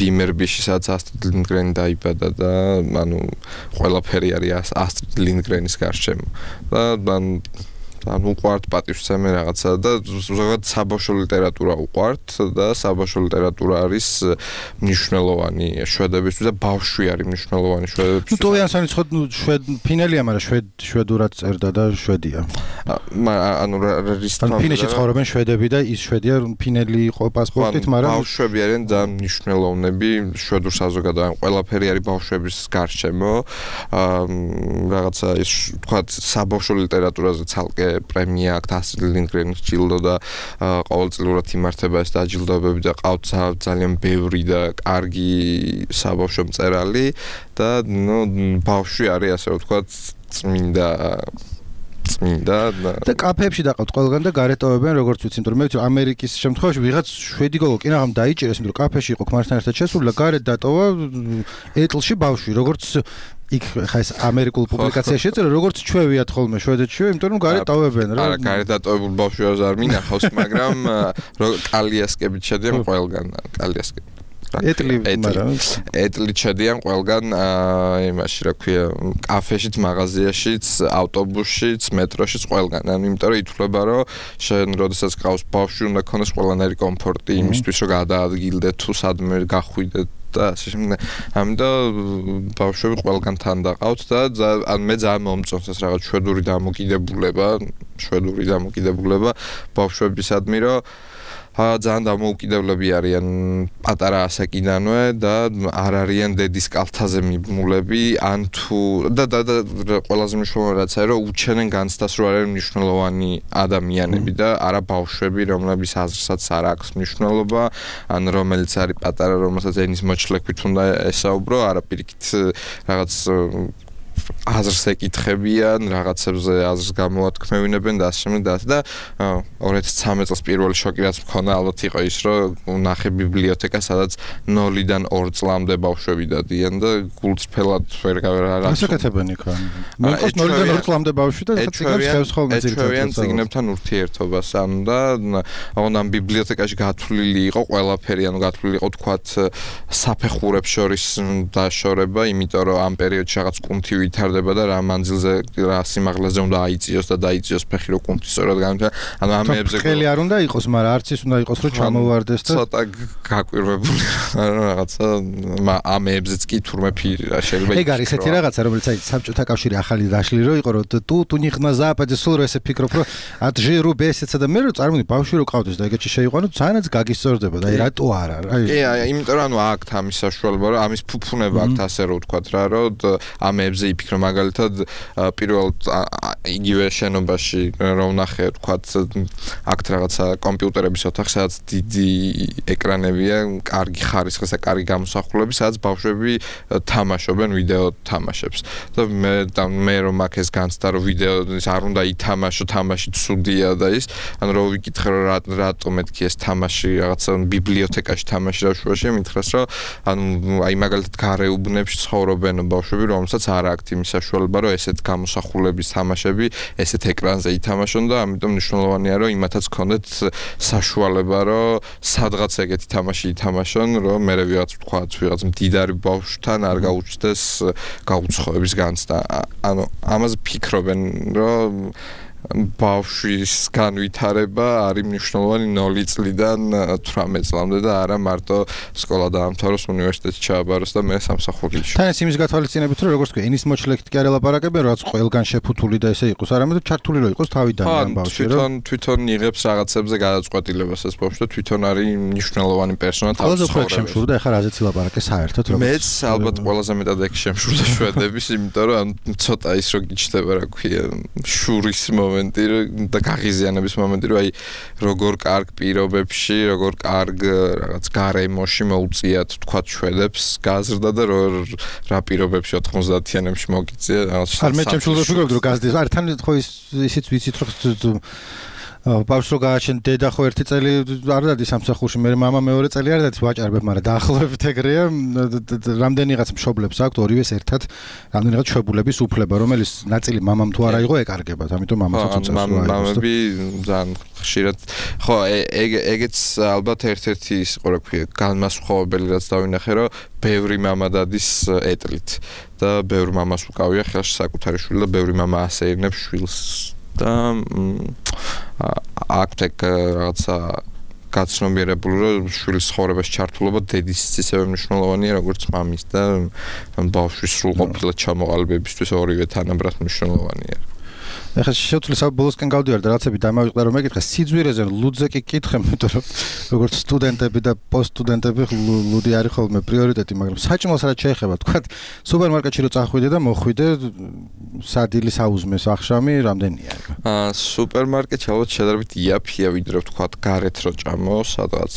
ვიმერბიში სადაც ასტრიდ ლინდგრენი დაიბადა და ანუ ყველაფერი არის ასტრიდ ლინდგრენის გარშემო და ანუ უყვართ პატივსცემი რაღაცა და ზოგადად საბავშვო ლიტერატურა უყვართ და საბავშვო ლიტერატურა არის მნიშვნელოვანი შვედებისთვის და ბავშვი არის მნიშვნელოვანი შვედებისთვის. ნუ ტოვიანსონიც ხო ფინელია, მაგრამ შვედურად წერდა და შვედია. ანუ რის თქმა უნდა ფინეთში ცხოვრობენ შვედები და ის შვედია ფინელი იყო პასპორტით, მაგრამ ბავშვები არიან ძალიან მნიშვნელოვნები შვედურ საზოგადოებაში. ყველაფერი არის ბავშვების გარშემო. რაღაცა ის თქვა საბავშვო ლიტერატურაზე ცალკე პრემია აქვს ასტრიდ ლინდგრენის ჯილდო და ყოველწლიურად იმართება ეს დაჯილდოებები და ყავთ ძალიან ბევრი და კარგი საბავშვო მწერალი და ნუ ბავშვი არის ასე ვთქვათ წმინდა და კაფეებში დაყავთ ყველგან და გარეტოვებენ როგორც ვიცი, იმიტომ რომ მე ვიცი ამერიკის შემთხვევაში ვიღაც შვედი გოგო კი რაღამ დაიჭირეს, იმიტომ რომ კაფეში იყო ქმართან ერთად შესული და გარეთ დატოვა ეტლში ბავშვი, როგორც იქ ხა ეს ამერიკულ პუბლიკაციაში ეწერა როგორც ჩვევიათ ხოლმე შვედეთში, იმიტომ რომ გარეთ დავებენ რა. არა, გარეთ დატოვებულ ბავშვებს არ მინახავს, მაგრამ კალიასკებით შედიან ყველგან, კალიასკები. ეტლი ჩედიან ყველგან იმაში რა ქვია კაფეშიც, მაღაზიაშიც, ავტობუსშიც, მეტროშიც ყველგან. ანუ იმიტომ რომ ითვლება რომ შენ როდესაც გყავს ბავშვი უნდა ქონდეს ყველანაირი კომფორტი იმისთვის რომ გადაადგილდე თუ სადმე გახვიდე და ასე შემდეგ. ამიტომ ბავშვები ყველგან თან დაყავთ და ან მე ძალიან მომწონს ეს რაღაც შვედური დამოკიდებულება ბავშვებისადმი რომ ძალიან დამოუკიდებლები არიან პატარა ასაკიდანვე და არ არიან დედის კალთაზე მიბმულები ან თუ და ყველაზე მნიშვნელოვანი რაცაა რომ უჩენენ განცდას რომ არიან მნიშვნელოვანი ადამიანები და არა ბავშვები რომლების აზრსაც არ აქვს მნიშვნელობა ან რომელიც არის პატარა რომელსაც ენის მოჩლექვით უნდა ესაუბრო არა პირიქით რაღაც აზრს ეკითხებიან, რაღაცებზე აზრს გამოათქმევინებენ და ასე შემდეგ და 2013 წელს პირველი შოკი რაც მქონდა ალბათ იყო ის რომ ნახე ბიბლიოთეკა სადაც 0-დან 2 წლამდე ბავშვები დადიან და გულწრფელად ვერ გასაკეთებენ იქ. მოყავს 0-დან 2 წლამდე ბავშვი და ციგნებს ხევს ხოლმე ძირითადად ციგნებთან ურთიერთობას ანუ და ამ ბიბლიოთეკაში გათვლილი იყო ყველაფერი ანუ გათვლილი იყო თქვათ საფეხურებს შორის დაშორება იმიტომ რომ ამ პერიოდში რაღაც კუნთი ვითარდება და რა მანძილზე რა სიმაღლეზე უნდა აიწიოს და დაიწიოს ფეხი რო კუნთი სწორად გამითა. ანუ ამეებზე ხელი არ უნდა იყოს, მაგრამ არც ის უნდა იყოს რომ ჩამოვარდეს და ცოტა გაკვირვებული რაღაცა ამეებზეც კი თურმე ფირი რა შეიძლება. ეგ არის ესეთი რაღაცა რომელიც აი საბჭოთა კავშირი ახალი დაშლი რო იყო რომ თუ ნიხნა ზაპადე სულ რომ ესე ფიქრობ რომ ადჟირუ ბესეცა და მე რო წარმოიდგინე ბავშვი რო ყავდეს და ეგეთში შეიყვანო ძალიანაც გაგისწორდება და აი რატო არა რა. კი იმიტომ რომ ანუ აქ ამის საშუალება რომ ამის ფუფუნება აქ ასე რო ვთქვათ რა რომ ამეებზე იფიქრო მაგალითად პირველ იგივე შენობაში რომ ნახე ვთქვათ აქ რაღაცა კომპიუტერების ოთახი სადაც დიდი ეკრანებია, კარგი ხარისხის და კარგი გამოსახულები, სადაც ბავშვები თამაშობენ ვიდეო თამაშებს. და მე რომ აქ ეს განცდა რომ ვიდეო არ უნდა ითამაშო, თამაში ცუდია და ის, ანუ რომ ვიკითხე რომ რატომ მეთქი ეს თამაში რაღაცა ბიბლიოთეკაში თამაში ბავშვებში მითხრას რომ ანუ აი მაგალითად გარეუბნებში ცხოვრობენ ბავშვები რომელსაც არ აქვს იმის საშუალება რომ ესეთ გამოსახულების თამაშები ესეთ ეკრანზე ითამაშონ და ამიტომ მნიშვნელოვანია რომ იმათაც ქონდეთ საშუალება რომ სადღაც ეგეთი თამაში ითამაშონ რომ მე ვიღაც მდიდარი ბავშვთან არ გაუჩნდეს გაუცხოების განცდა. ანუ ამაზე ფიქრობენ რომ ბავშვის განვითარება არის მნიშვნელოვანი 0 წლიდან 18 წლამდე და არა მარტო სკოლა დაამთავროს, უნივერსიტეტში ჩააბაროს და მე სამსახურში. თან ეს იმის გათვალისწინებით რომ როგორც თქვი, ენის მოჩლექით კი არ ელაპარაკებენ, რაც ყველგან შეფუთული და ესე იყოს, არამედ ჩართული რო იყოს თავიდან ამ ბავშვი რომ თვითონ იღებს რაღაცებზე გადაწყვეტილებას ეს ბავშვი და თვითონ არის მნიშვნელოვანი პერსონა თავის ცხოვრებაში. შემშურდა ეხლა რაზეც ილაპარაკე საერთოდ რომ მეც ალბათ ყველაზე მეტად ეგ შემშურდა შვედების, იმიტომ რომ ცოტა ის რო გიჩნდება რა ქვია, შურის მომენტი და გაღიზიანების მომენტი რომ აი როგორ კარგ პირობებში, როგორ კარგ რაღაც გარემოში მოუწიათ თქვათ შვედებს გაზრდა და რა პირობებში 90-იანებში მოგიწია რაღაც. არ მე ჩემშულზე ვფიქრობ რომ გაზრდის. არ თან ხო ისიც ვიცით რომ ბავშვს რო გააჩენ დედა ხო ერთი წელი არ დადის სამსახურში, მე მამა მეორე წელი არ დადის ვაჭარებ, მაგრამ დაახლოებით ეგრეა. რამდენიღაც მშობლებს აქვთ ორივეს ერთად რამდენიღაც შვებულების უფლება, რომელიც ნაწილი მამამ თუ არა იყო ეკარგებათ, ამიტომ მამასაც უწევს რა იყოს. მამები ძალიან ხშირად ხო ეგეც ალბათ ერთ-ერთი ის იყო რა ქვია განმასხვავებელი რაც დავინახე რომ ბევრი მამა დადის ეტლით და ბევრი მამას უკავია ხელში საკუთარი შვილი და ბევრი მამა ასეირნებს შვილს და აქვთ რაღაცა გაცნობიერებული რომ შვილის ცხოვრებაში ჩართულობა დედის ისევე მნიშვნელოვანია როგორც მამის და ბავშვის სრულყოფილად ჩამოყალიბებისთვის ორივე თანაბრად მნიშვნელოვანია. ეხლა შეუძლია ბოლოსკენ გავდივარ და რაღაცები დამავიწყდა რომ მეკითხე სიძვირეზე ლუდზე კი კითხე, იმიტომ რომ როგორც სტუდენტები და პოსტსტუდენტები ლუდი არის ხოლმე პრიორიტეტი, მაგრამ საჭმელს რაც შეეხება, თქვა სუპერმარკეტში რო წახვიდე და მოხვიდე სადილი საუზმეს ახშამი რამდენია? სუპერმარკეტში ალბათ შედარებით იაფია ვიდრე თქვა გარეთ რო ჭამო, სადღაც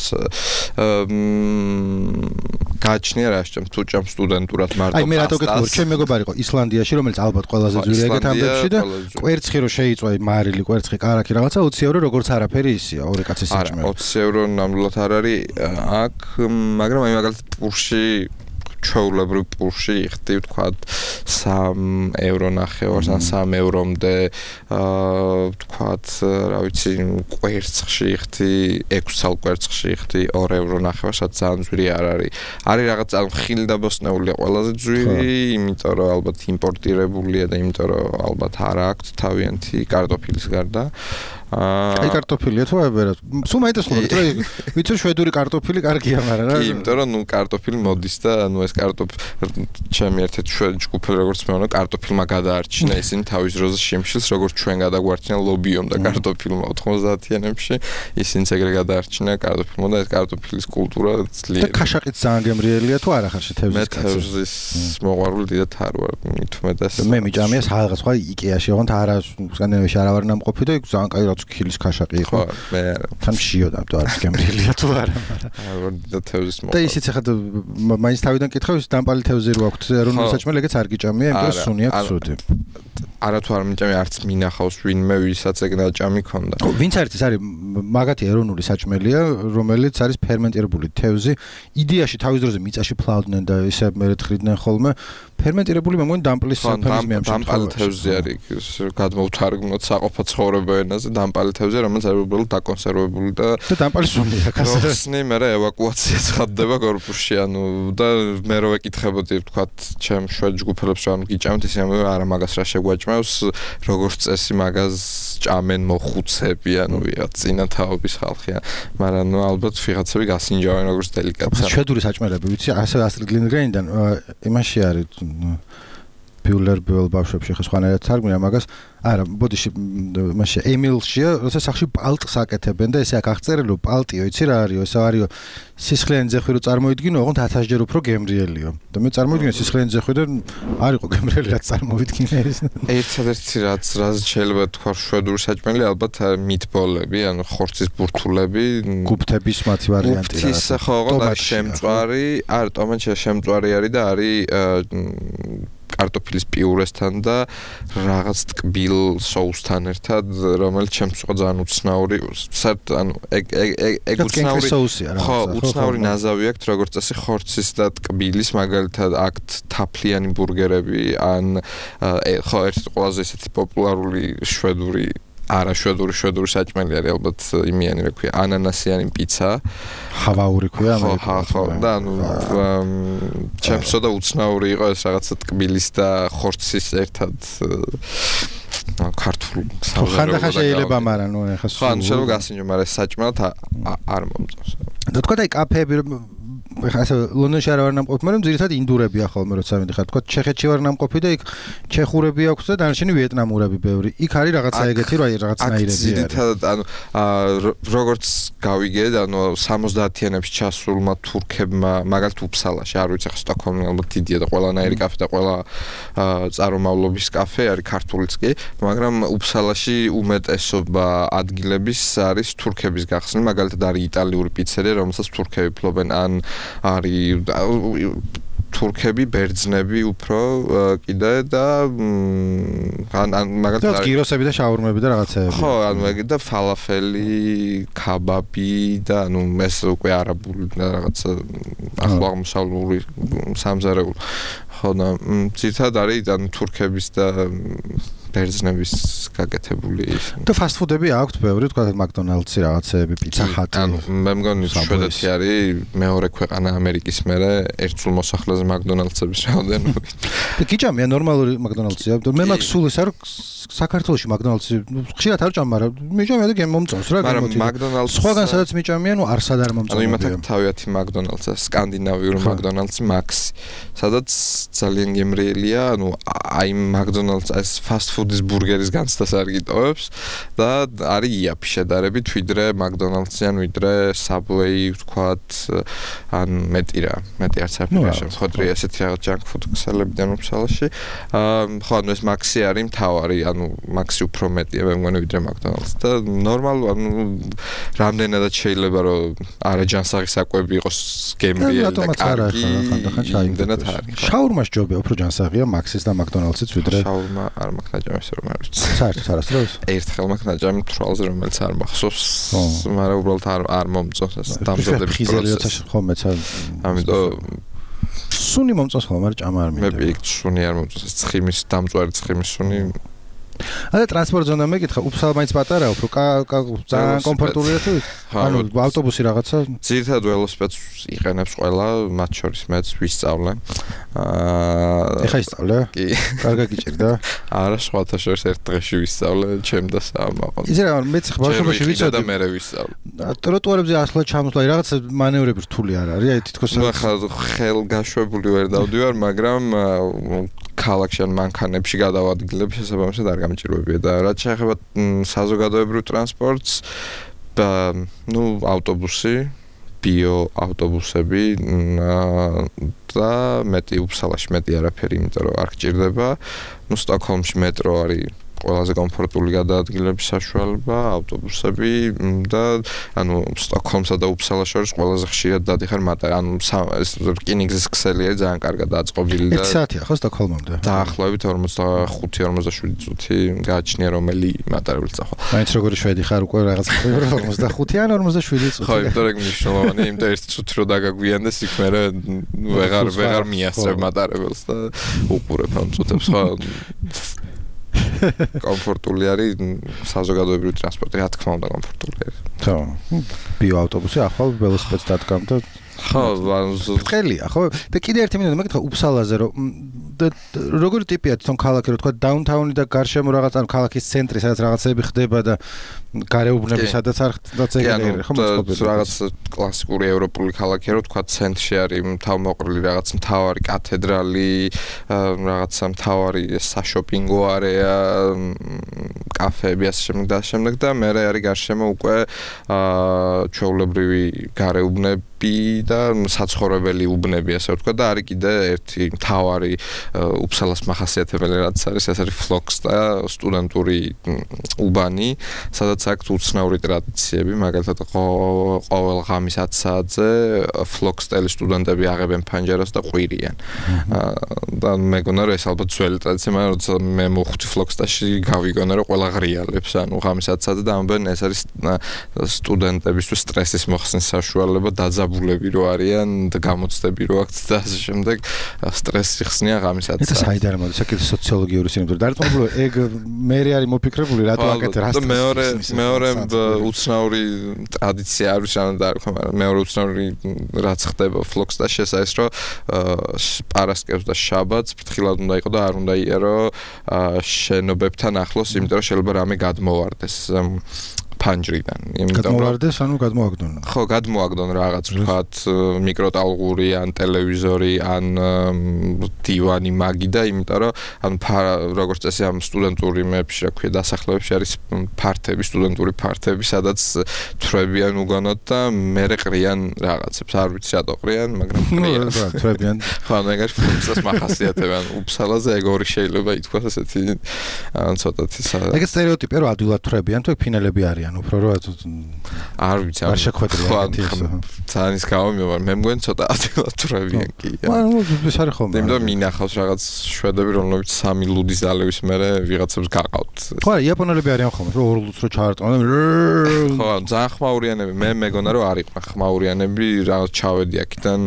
გააჩნია რა შეჭამ, თუ ჭამ სტუდენტურად მარტო პასტას. აი მე რატო გეტყვი, ჩემი მეგობარი იყო ისლანდიაში, რომელიც ალბათ ყველაზე ძვირია ეგეთ ამბებში და კვერცხი რო შეიწვა მარილი კვერცხი კარაქი რაღაცა 20 евро როგორც არაფერი ისია, ორი კაცის საჭმელი. არა, 20 евро ნამდვილად არ არის აქ, მაგრამ აი მაგალითად პურში ჩვეულებრივ პულში იხდი ვთქვათ 3 ევრო ნახევარს ან 3 ევრომდე ვთქვათ რა ვიცი კვერცხში იხდი 6 ცალ კვერცხში იხდი 2 ევრო ნახევარს რაც ძალიან ძვირი არ არის რაღაც ხილი და ბოსტნეულია ყველაზე ძვირი იმიტომ რომ ალბათ იმპორტირებულია და იმიტომ რომ ალბათ არ აქვს თავიანთი კარტოფილის გარდა აი კარტოფილია თუ არა სულ მაინტერესებს რომ ვიცი შვედური კარტოფილი კარგია მაგრამ რა იმიტომ რომ ნუ კარტოფილი მოდის და ნუ ეს ჩემი ერთ-ერთი შვედი ჯგუფელი როგორც მეუბნა კარტოფილმა გადაარჩინა ისინი თავის დროზე შიმშილს როგორც ჩვენ გადაგვარჩინა ლობიომ და კარტოფილმა 90-იანებში ისინიც ეგრე გადაარჩინა კარტოფილმა და ეს კარტოფილის კულტურა ძლიერი და ქაშაყიც ძალიან გემრიელია თუ არა ხარ შეთევზის მე თევზის მოყვარული დიდად არ ვარ მithumedas მე მიჭამია რაღაც სხვა იკეაში ოღონდ არა სკანდინავიაში არ ვარ ნამყოფი და ძალიან კაი ქილის ქაშაყი იყო. მე არა. თან შიოდა თუ არის გემრიელია თუ არა. და თევზის მოყვა. და ისიც ახლა მაინც თავიდან კითხავ ის დამპალი თევზი რო აქვს ეროვნული საჭმელი ეგეც არ გიჭამია, იმიტომ რომ სუნია ცუდი. არა თუ არ მიჭამია არც მინახავს ვინმე ვისაც ეგ ნაჭამი ქონდა. ვინც არის ეს არის მაგათი ეროვნული საჭმელია, რომელიც არის ფერმენტირებული თევზი. იდეაში თავის დროზე მიწაში ფლავდნენ და ისე მერე თხრიდნენ ხოლმე ფერმენტირებული მე მგონი დამპლის საფერმის მიამჩნევ. დამპალი თევზი არის გადმოვთარგმნოთ საყოფო ცხოვრება ენაზე დამპალი თევზი რომელიც არის უბრალოდ დაკონსერვებული და დამპალი სუნია კაცო. ხსნი მე ევაკუაცია ხდება კორპუსში ანუ და მე რო ვეკითხებოდი ვთქვათ ჩემ შვედ ჯგუფელებს რომ გიჭამთ ისე არა მაგას რა შეგვაჭმევს როგორც წესი მაგას ჭამენ მოხუცები ანუ ვიღაც წინათაობის ხალხია მაგრამ ნუ ალბათ ვიღაცები გასინჯავენ როგორც დელიკატსა შვედური საჭმელები ვიცი ასე ასტრიდ ლინდგრენიდან იმაში არის ბიულერ ბიულ ბავშვებში ხა სხვანაირად თარგმნია მაგას არა ბოდიში მასე ემილშია როცა სახში პალტს აკეთებენ და ესე აქ აღწერილი პალტიო იცი რა არისო ეს არისო სისხლიანი ძეხვი რო წარმოიდგინო ოღონდ 1000 ჯერ უფრო გემრიელიო და მე წარმოვიდგინე სისხლიანი ძეხვი და არისო გემრიელი რაც წარმოვიდგინე ეს ერთადერთი რაც შეიძლება თქვა შვედური საჭმელი ალბათ მიტბოლები ანუ ხორცის ბურთულები გუფთების მათი ვარიანტი რა ის ხო ოღონდ არის შემწვარი არა ტომატია შემწვარი არის და არის კარტოფილის პიურესთან და რაღაც ტკბილ соуსთან ერთად რომელიც ჩემს უკვე ძალიან უცნაური საერთოდ ანუ ეგ უცნაური соуსია რა ხო უცნაური ნაზავი აქვს როგორც წესი ხორცის და ტკბილის მაგალითად აქ თაფლიანი ბურგერები ან ხო ერთ ყველაზე ესეთი პოპულარული შვედური არა შვედური საჭმელი არის ალბათ იმიანი რა ქვია ანანასიანი პიცა ჰავაური ქვია ხო და ანუ ჩემსო და უცნაური იყო ეს რაღაცა ტკბილის და ხორცის ერთად ქართულ ხანდახან შეიძლება მაგრამ ნუ ეხა ხო ან შეიძლება გასინჯო მაგრამ ეს საჭმელად არ მომწონს და თქვა და კაფეები ეხა ასე ლონდონში არ ვარ ნამყოფი, მაგრამ ძირითადად ინდურებია ხოლმე როცა მიდიხარ. თქვა ჩეხეთში ვარ ნამყოფი და იქ ჩეხურები აქვს და დანარჩენი ვიეტნამურები ბევრი. იქ არის რაღაცა ეგეთი რა რაღაცნაირები არის. ძირითადად ანუ როგორც გავიგეთ, ანუ 70-იანებში ჩასულმა თურქებმა მაგალითად უფსალაში, არ ვიცი ხა სტოკჰოლმი ალბათ დიდია და ყველანაირი კაფე და ყველა წარმომავლობის კაფე არის ქართულიც კი, მაგრამ უფსალაში უმეტესობა ადგილების არის თურქების გახსნილი, მაგალითად არის იტალიური პიცერია, რომელსაც თურქები ფლობენ ან არის თურქები, ბერძნები უფრო კიდე და ან მაგალითად გიროსები და შაურმები და რაღაცეები. ხო, ანუ ეგ და ფალაფელი, ქაბაბი და ანუ ეს უკვე არაბული და რაღაცა ახლოაღმოსავლური სამზარეულო. ხო და ცირთად არის ანუ თურქების და ბერძნების გაკეთებული ის. და ფასტფუდები აქვს ბევრი, თქვა მაკდონალდსი რაღაცეები, პიცა ჰატი. ანუ მე მგონი შვედეთი არის მეორე ქვეყანა ამერიკის მერე ერთსულ მოსახლეზე მაკდონალდსების რაოდენობით. და გიჭამია ნორმალური მაკდონალდსია. მე მაქვს სულ ის არ საქართველოში მაკდონალდსი ხშირად არ ჭამ, მაგრამ მიჭამია და მომწონს რა მაგრამ მაკდონალდს სხვაგან სადაც მიჭამია, ნუ არსად არ მომწონს. ანუ იმათ თავიანთი მაკდონალდსა, სკანდინავიური მაკდონალდსი მაქსი, სადაც ძალიან გემრიელია, ანუ აი მაკდონალდს ეს ფასტფუდის ბურგერის განცდას არ გიტოვებს და არის იაფი შედარებით ვიდრე მაკდონალდსი ან ვიდრე საბვეი ვთქვათ ან მეტი არც არაფერი შემოხდრია ესეთი რაღაც ჯანკ ფუდ ქსელებიდან უფსალაში ხო ანუ ეს მაქსი არის მთავარი ანუ მაქსი უფრო მეტია მე მგონი ვიდრე მაკდონალდს და ნორმალ ანუ რამდენადაც შეიძლება რომ არა ჯანსაღი საკვები იყოს გემრიელი და კარგი იმდენად არის შაურმა ჯობია უფრო ჯანსაღია მაქსის და მაკდონალდსიც ვიდრე შაურმა არ მაქვს ნაჭამის რომ არ ვიცი საერთოდ არასდროს ერთხელ მაქვს ნაჭამი თვალზე რომელიც არ მახსოვს მაგრამ უბრალოდ არ მომწონს ეს დამზადების პროცესი ხო მეც ამიტომ სუნი მომწონს ხოლმე, მაგრამ ჭამა არ მინდა. მე პიქ სუნი არ მომწონს, ცხიმის დამწვარი ცხიმის სუნი. და ტრანსპორტ ზონა მეკითხა, უფსალ მაინც პატარაა, უფრო ძალიან კომფორტულია თუ? ანუ ავტობუსი რაღაცა? ძირითადად ველოსიპედს იყენებს ყველა, მათ შორის მეც ვისწავლე. ეხა ისწავლე? კი. კარგად გიჭირდა? არა, სხვათა შორის ერთ დღეში ვისწავლე, ჩემ და საამაყო. იცი რა, მეც ბავშვობაში ვიცოდი და მე ვისწავლე. ტროტუარებზე ასლა ჩამოსვლა, რაღაცა მანევრები რთული არ არის, აი თითქოს ახლა ხელგაშვებული ვერ დავდივარ, მაგრამ ქალაქში ან მანქანებში გადავადგილებ შესაბამისად არ გამჭირვებია და რაც შეეხება საზოგადოებრივ ტრანსპორტს ავტობუსი ბიო ავტობუსები და მეტი უფსალაში მეტი არაფერი იმიტომ რომ არ გჭირდება სტოკჰოლმში მეტრო არის ყველაზე კომფორტული გადაადგილების საშუალება ავტობუსები და ანუ სტოკჰოლმსა და უფსალას შორის ყველაზე ხშირად დადიხარ ანუ ეს რკინიგზის ქსელი არის ძალიან კარგად დაწყობილი და 1 საათია ხო სტოკჰოლმამდე დაახლოებით 45-47 წუთი გააჩნია რომელი მატარებლით წახვა მაინც როგორი შვედი ხარ უკვე რაღაც 45 ან 47 წუთი ხო იმიტომ რომ მნიშვნელოვანია იმიტომ 1 წუთი რო დაგაგვიანდეს იქ მე ვეღარ მიასწრებ მატარებელს და უყურებ ამ წუთებს ხო კომფორტული არის საზოგადოებრივი ტრანსპორტი, რა თქმა უნდა კომფორტული არის. ხო. ბიო ავტობუსი ახალ ველოსიპედს დადგამ და ხო, ყელია, ხო? და კიდე ერთი მინდა მეკითხა უფსალაზე რომ როგორი ტიპია თვითონ ქალაქი, რო თქვა დაუნთაუნი და გარშემო რაღაც ან ქალაქის ცენტრი, სადაც რაღაცები ხდება და გარეუბნები სადაც არ ხდაც ეგრე ხო მოწყობილი. რაღაც კლასიკური ევროპული ქალაქია, რო თქვა ცენტრში არის თავმოყრილი რაღაც მთავარი კათედრალი, რაღაცა მთავარი საშოპინგო არეა, კაფეები ასე შემდეგ და მე არის გარშემო უკვე ჩვეულებრივი გარეუბნები და საცხოვრებელი უბნები ასე ვთქვა და არის კიდე ერთი მთავარი უფსალას მახასიათებელი რაც არის ეს არის ფლოქს და სტუდენტური უბანი სადაც აქვს უცნაური ტრადიციები მაგალითად ყოველ ღამის 10 საათზე ფლოქსტელი სტუდენტები აღებენ ფანჯარას და ყვირიან და მეგონა რომ ეს ალბათ ძველი ტრადიცია მაგრამ როცა მე მოვხვდი ფლოქსტაში გავიგონა რომ ყველა ღრიალებს ანუ ღამის 10 საათზე და ამბობენ ეს არის სტუდენტებისთვის სტრესის მოხსნის საშუალება დაძაბულები რო არიან და გამოცდები რო აქვთ და ასე შემდეგ სტრესი ხსნიან ღამის 10 საათზე. ეს საიდან მოდის? საკითხი სოციოლოგიური სინამდვილე. დარწმუნებული ეგ მე არის მოფიქრებული რატო აკეთე რა სტრესი. მეორე უცნაური ტრადიცია არის რანდა არ ხო მაგრამ მეორე უცნაური რაც ხდება ფლოქსტაში ეს არის რომ პარასკევს და შაბათს ფრთხილად უნდა იყო და არ უნდა იარო შენობებთან ახლოს იმიტომ რომ შეიძლება რამე გადმოვარდეს ფანჯრიდან. გადმოვარდეს, ანუ გადმოაგდონ. ხო, გადმოაგდონ რაღაც ვთქვათ მიკროტალღური ან ტელევიზორი ან დივანი მაგი და იმიტომ რომ ან როგორც წესი ამ სტუდენტური მეებში რა ქვია დასახლებებში არის ფართები, სტუდენტური ფართები, sadაც თრებიან უგანოდ და მერე ყრიან რაღაცებს. არ ვიცი რატო ყრიან, მაგრამ ყრიან. თრებიან. ხო, მაგარი ფუნქციას მახასიათებენ. უფსალაზე ეგ ორი შეიძლება ითქვას ასეთი ცოტათი. ეგ სტერეოტიპია რომ ადვილად თრებიან, თუ ფინელები არიან. უფრო რა არ ვიცი არ შეხვედრია ეგეთი ძალიან ის გამომივა მე მგონი ცოტა ადვილად თრებიან კი ანუ ეს არის ხოლმე იმიტომ რომ მინახავს რაღაც შვედები რომლებიც 3 ლუდის დალევის მერე ვიღაცებს გაყავთ ხო იაპონელები არიან ხოლმე რომ 2 ლუდს რო ჩაარტყმენ ხო ძალიან ხმაურიანები მე მეგონა რომ არის ხმაურიანები რაღაც ჩავედი აქედან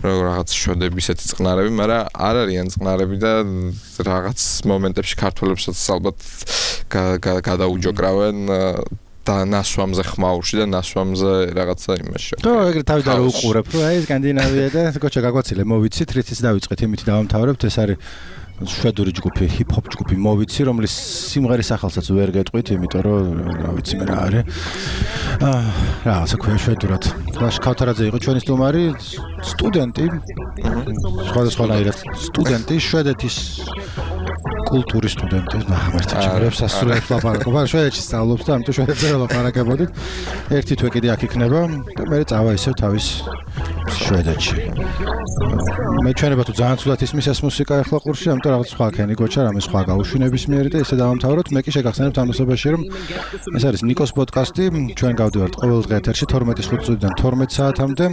რაღაც შვედები ისეთი წყნარები მაგრამ არ არიან წყნარები და რაღაც მომენტებში ქართველებსაც ალბათ გადაუჯოკრავენ და ნასვამზე ხმაურში და ნასვამზე რაღაცა იმაში. ხო, ეგრე თავი და უყურებ, რომ აი სკანდინავია და გოჩა გაგვაცილე, მოვიცით, რითიც დავიწყეთ, იმით დავამთავრებთ, ეს არის შვედური ჯგუფი, ჰიპ-ჰოპ ჯგუფი მოვიცი, რომლის სიმღერის სახელსაც ვერ გეტყვით, იმიტომ რომ რა ვიცი მე რა არის. რაღაცა ქვია შვედურად. კლაშ ქავთარაძე იყო ჩვენი სტუმარი, სტუდენტი. სხვადასხვანაირად სტუდენტი შვედეთის კულტურის სტუდენტი და ამერტი ჩაგრებს ასრულებს ლაპარაკობა. შვედეთში სწავლობს და ამიტომ შვედეთზე ლაპარაკებოდით. ერთი თვე კიდე აქ იქნება და მე წავა ისევ თავის შვედეთში. მე ჩვენება თუ ძალიან ცუდად ისმის ეს მუსიკა ახლა ყურში, ამიტომ რაღაც სხვა ქენი გოჩა, რამე სხვა გაუშვინების მიერი და ესე დავამთავროთ. მე კი შეგახსენებთ ამასობაში რომ ეს არის ნიკოს პოდკასტი. ჩვენ გავდივართ ყოველ დღე ეთერში 12:05 წუთიდან 12 საათამდე.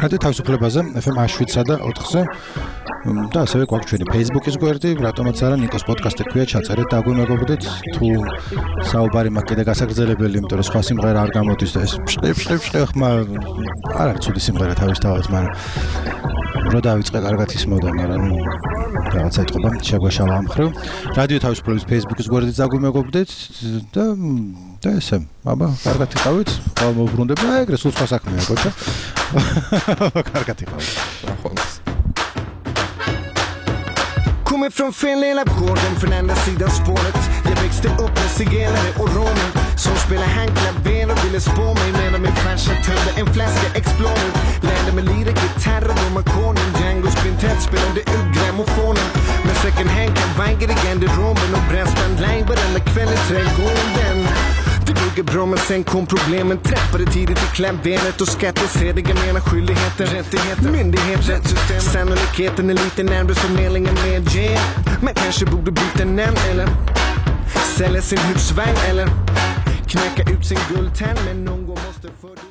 რადიო თავისუფლებაზე FM 7-სა და 4-ზე. და ასევე გვაქვს ჩვენი Facebook-ის გვერდი, რატომაც არა ნიკოს პოდკასტი ქვია, ჩაწერეთ და აგვიმეგობრდეთ. თუ საუბარი მაქვს კიდე გასაგრძელებელი, იმიტომ რომ სხვა სიმღერა არ გამოდის და ეს ფშყი ხმა არ არის ცუდი სიმღერა რა თავისთავად, მაგრამ რო დავიწყე კარგად ისმოდა, მაგრამ რაღაცა ეთყობა შეგვეშალა ამ ხრივ. რადიო თავისუფლების Facebook-ის გვერდით დაგვიმეგობრდეთ და ესე, აბა, კარგად იყავით, ხვალ მოვბრუნდება, ეგრე სულ სხვა საქმეა, კოჩა. კარგად იყავით. Kommer från Finland, Lapgården från andra sidan spåret. Jag växte upp med zigenare och romer som spelade handklaver och ville spå mig medan min farsa tömde en flaska Explorer. Lärde mig lira gitarr och domarkonen. Django's Quintet spelade ut grammofonen. Med second hand kavajer i garderoben och brassband live varenda kväll i trädgården. Det bygger bra men sen kom problemen. Träffade tidigt i klaveret och skattesediga menar skyldigheter, rättigheter, myndighet, rättssystem. Sannolikheten är lite närmare förmedlingen med J. Man kanske borde byta namn eller sälja sin husvagn eller knäcka ut sin guldtand. Men någon gång måste för